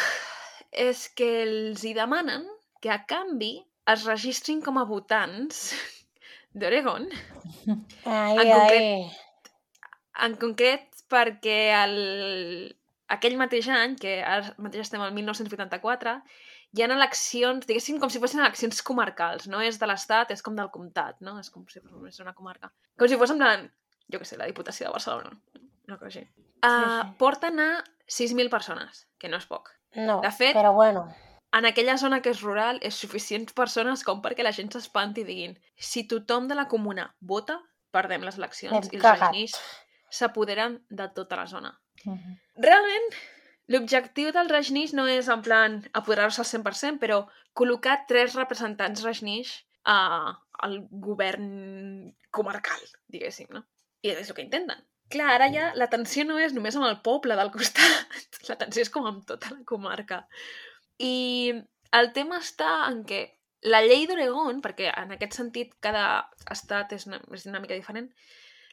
és que els hi demanen que a canvi es registrin com a votants d'Oregon. Ai, En concret- ai. En concret, perquè el, aquell mateix any, que ara mateix estem al mil nou-cents vuitanta-quatre, hi ha eleccions, diguéssim, com si fossin eleccions comarcals. No és de l'estat, és com del comtat, no? És com si fos una comarca. Com si fos, en plan, jo què sé, la Diputació de Barcelona. Una cosa així. Uh, Sí, sí. Porten a sis mil persones, que no és poc. No, De fet, però bueno. en aquella zona que és rural, és suficients persones com perquè la gent s'espanti i diguin si tothom de la comuna vota, perdem les eleccions Hem i els cagat. rajneesh s'apoderen de tota la zona. Uh -huh. Realment, l'objectiu del rajneesh no és en plan apoderar-se al cent per cent, però col·locar tres representants rajneesh a, al govern comarcal, diguéssim, no? I és el que intenten. Clar, ara ja la tensió no és només amb el poble del costat, la tensió és com amb tota la comarca. I el tema està en què la llei d'Oregon, perquè en aquest sentit cada estat és una, és una mica diferent,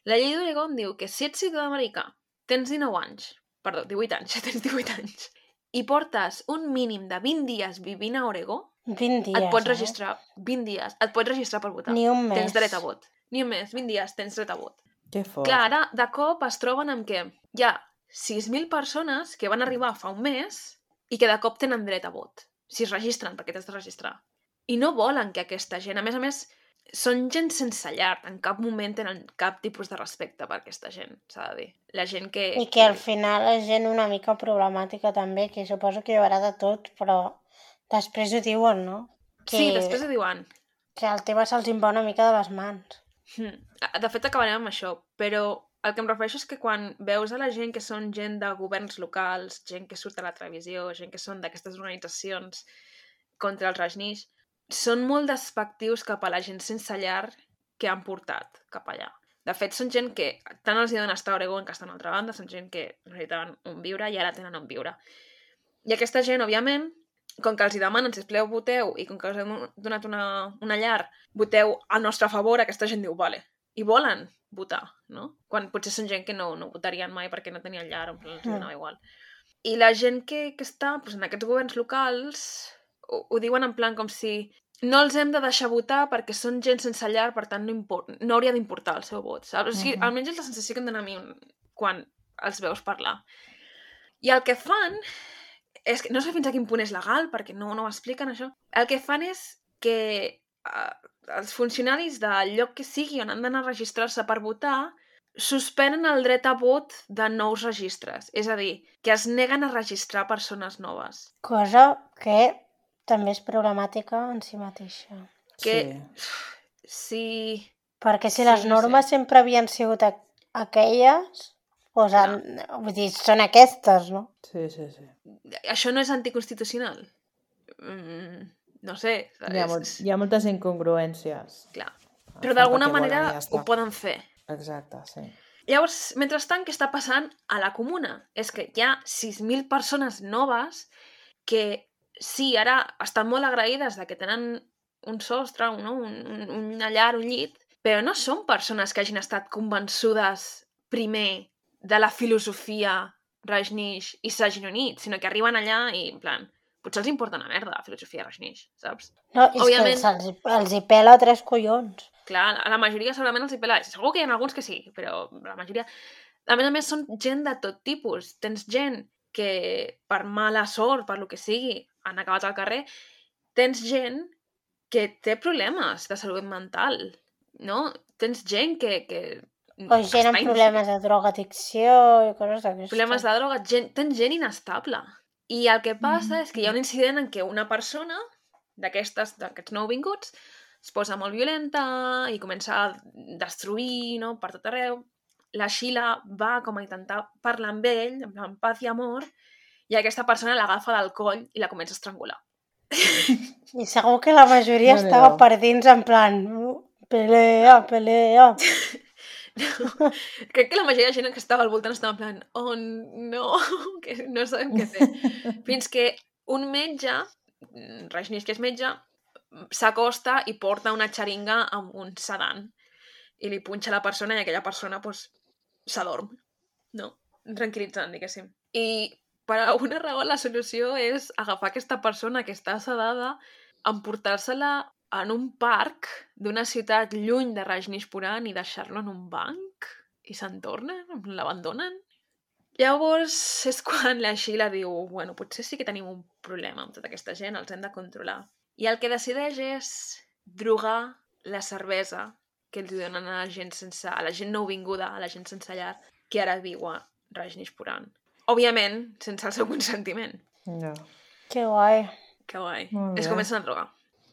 la llei d'Oregon diu que si ets ciutadà americà, tens dinou anys, perdó, divuit anys, tens divuit anys, i portes un mínim de vint dies vivint a Oregó, vint dies, et pots eh? registrar, vint dies, et pots registrar per votar. Ni un mes. Tens dret a vot. Ni un mes, vint dies, tens dret a vot. Que fort. Clar, ara de cop es troben amb que hi ha sis mil persones que van arribar fa un mes i que de cop tenen dret a vot. Si es registren, perquè t'has de registrar. I no volen que aquesta gent, a més a més, són gent sense llar, en cap moment tenen cap tipus de respecte per aquesta gent, s'ha de dir. La gent que... I que al final és gent una mica problemàtica també, que suposo que hi haurà de tot, però després ho diuen, no? Que, Sí, després ho diuen. que el tema se'ls en va una mica de les mans. Hmm. De fet, acabarem amb això, però el que em refereixo és que quan veus a la gent que són gent de governs locals, gent que surt a la televisió, gent que són d'aquestes organitzacions contra els rajneesh, són molt despectius cap a la gent sense llar que han portat cap allà. De fet, són gent que tant els donen estar a Oregon que estan a l'altra banda, són gent que necessitaven on viure i ara tenen on viure. I aquesta gent, òbviament, com que els hi demanen, sisplau, voteu, i com que us hem donat una, una llar, voteu al nostre favor, aquesta gent diu, vale. I volen votar, no? Quan potser són gent que no, no votarien mai perquè no tenien llar, o els donava igual. I la gent que, que està doncs, en aquests governs locals ho, ho diuen en plan com si no els hem de deixar votar perquè són gent sense llar, per tant no, import, no hauria d'importar el seu vot, saps? O sigui, Mhm. almenys és la sensació que em dona a mi quan els veus parlar. I el que fan és que no sé fins a quin punt és legal, perquè no, no ho expliquen, això. El que fan és que uh, els funcionaris del lloc que sigui on han d'anar a registrar-se per votar suspenen el dret a vot de nous registres. És a dir, que es neguen a registrar persones noves. Cosa que també és problemàtica en si mateixa. Que Sí. si... Perquè si Sí, les no normes sé. sempre havien sigut a- aquelles, doncs han, vull dir, són aquestes, no? Sí, sí, sí. Això no és anticonstitucional? Mm, no sé. Hi ha, és- molt, hi ha moltes incongruències. Clar. Fan Però d'alguna perquè volen manera i ja està. ho poden fer. Exacte, sí. Llavors, mentrestant, què està passant a la comuna? És que hi ha sis mil persones noves que, sí, ara estan molt agraïdes de que tenen un sostre, no? un, un, una llar, un llit, però no són persones que hagin estat convençudes primer de la filosofia Rajneesh i s'hagin unit, sinó que arriben allà i, en plan, potser els importa una merda la filosofia Rajneesh, saps? No, és Òbviament. que se'ls, els hi pela tres collons. Clar, a la majoria segurament els hi pela. Segur que hi ha alguns que sí, però la majoria... A més a més, són gent de tot tipus. Tens gent que, per mala sort, per lo que sigui, han acabat al carrer. Tens gent que té problemes de salut mental, no? Tens gent que... que O gent amb està problemes de drogadicció i coses d'aquestes. problemes de droga, gent, tens gent inestable. I el que passa és que hi ha un incident en què una persona d'aquestes, d'aquests nouvinguts es posa molt violenta i comença a destruir, no?, per tot arreu. La Sheila va com a intentar parlar amb ell, en plan paz i amor, i aquesta persona l'agafa del coll i la comença a estrangular. I segur que la majoria Déu-n'hi-do. estava per dins en plan "Uh, pelea, pelea". No. Crec que la majoria de gent que estava al voltant estava en plan oh no, que no sabem què fer. Fins que un metge, Rajneesh que és metge, s'acosta i porta una xeringa amb un sedant i li punxa a la persona i aquella persona pues, s'adorm, no? Tranquil·litzant, diguéssim. I per alguna raó la solució és agafar aquesta persona que està sedada, emportar-se-la en un parc d'una ciutat lluny de Rajneeshpuram i deixar-lo en un banc i se'n tornen, l'abandonen. Llavors és quan la Sheila diu, bueno, potser sí que tenim un problema amb tota aquesta gent, els hem de controlar. I el que decideix és drogar la cervesa que els donen a la gent sense, a la gent nouvinguda, a la gent sense llar, que ara viu a Rajneeshpuram. Òbviament, sense el seu consentiment. No. Que guai. Que guai. Molt Es bé. comencen a drogar.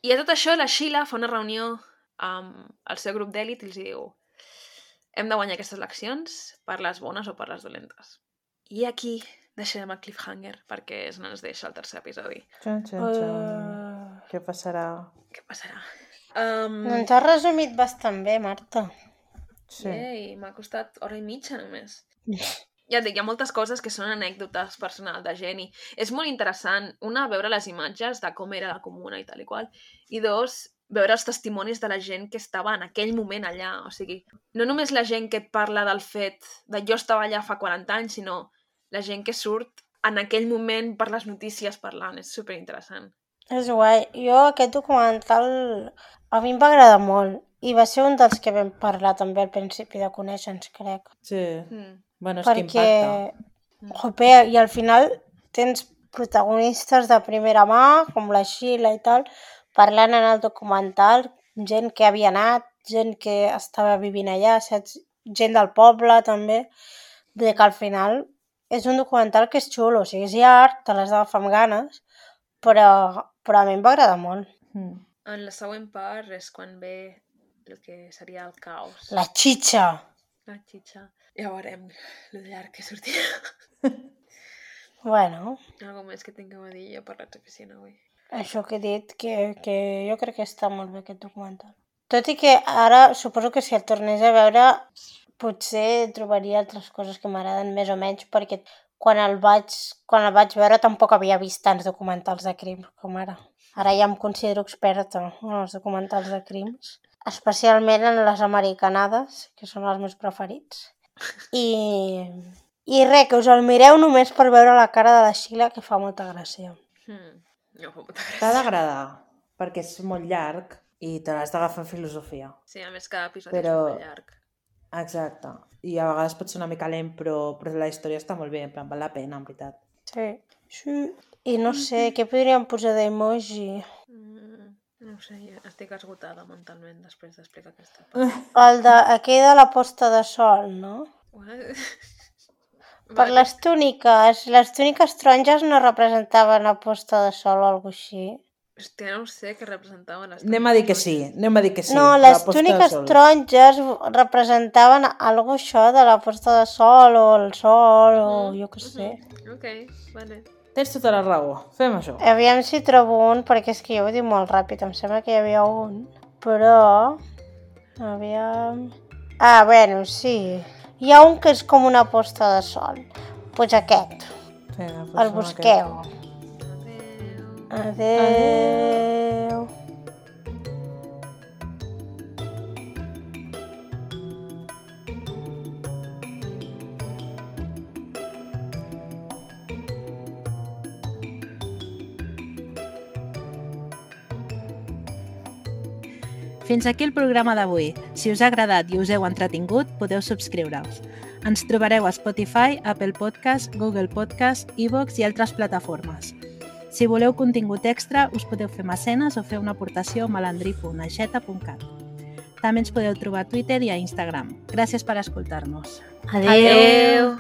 I a tot això, la Sheila fa una reunió amb el seu grup d'èlit i els diu hem de guanyar aquestes eleccions per les bones o per les dolentes. I aquí deixarem el cliffhanger perquè és on ens deixa el tercer episodi. Xan, xan, xan. Uh... Què passarà? Què passarà? Um, Doncs has resumit bastant bé, Marta. Sí. Ei, m'ha costat hora i mitja només. Ja et dic, hi ha moltes coses que són anècdotes personals de gent i és molt interessant, una, veure les imatges de com era la comuna i tal i qual, i dos, veure els testimonis de la gent que estava en aquell moment allà. O sigui, no només la gent que et parla del fet de jo estava allà fa quaranta anys, sinó la gent que surt en aquell moment per les notícies parlant. És superinteressant. És guai. Jo aquest documental a mi em va agradar molt i va ser un dels que vam parlar també al principi de conèixer-nos, crec. Sí. Mm. Bueno, és que Perquè, impacta. jope, i al final tens protagonistes de primera mà, com la Sheila i tal, parlant en el documental, gent que havia anat, gent que estava vivint allà, saps? Gent del poble també. Vull dir que al final és un documental que és xulo, o sigui, és llarg, te l'has d'agafar amb ganes, però, però a mi em va agradar molt. Mm. En la següent part és quan ve el que seria el caos. La xitxa! La xitxa. Ja veurem lo llarg que sortirà. Bueno, Algo més que tingueu a dir jo per l'exoficina avui. això que he dit, que, que jo crec que està molt bé aquest documental. Tot i que ara suposo que si el tornés a veure potser trobaria altres coses que m'agraden més o menys, perquè quan el vaig, quan el vaig veure tampoc havia vist tants documentals de crims com ara. Ara ja em considero experta en els documentals de crims, especialment en les americanades, que són els meus preferits. I, i res, que us el mireu només per veure la cara de la Sheila, que fa molta gràcia. Hmm. No fa molta gràcia. T'ha d'agradar, perquè és molt llarg i te l'has d'agafar en filosofia. Sí, a més cada episodi Però- és molt llarg. Exacte. I a vegades pot ser una mica lent, però, però la història està molt bé, en plan, val la pena, en veritat. Sí. Sí. I no sé, què podríem posar d'emoji? Mm, no ho sé, jo estic esgotada mentalment després d'explicar aquesta part. El de, aquell de la posta de sol, no? What? Per les túniques. Les túniques taronges no representaven la posta de sol o alguna així. Hòstia, no ho sé què representaven les Anem a dir que sí, anem a dir que sí. no, la les posta de túniques sol. taronges representaven alguna això de la posta de sol o el sol o Mm, jo què sé. Mhm. Ok, vale. Tens tota la raó, fem això. Aviam si trobo un, perquè és que jo ho dic molt ràpid, em sembla que hi havia un, però... Aviam... Ah, bueno, sí. Hi ha un que és com una posta de sol. Doncs pues aquest, Vinga, doncs el som busqueu. Adéu. Adéu. Fins aquí el programa d'avui. Si us ha agradat i us heu entretingut, podeu subscriure-us. Ens trobareu a Spotify, Apple Podcast, Google Podcast, iVoox i altres plataformes. Si voleu contingut extra, us podeu fer mecenes o fer una aportació a malandrí punt aixeta punt cat. També ens podeu trobar a Twitter i a Instagram. Gràcies per escoltar-nos. Adéu. Adéu.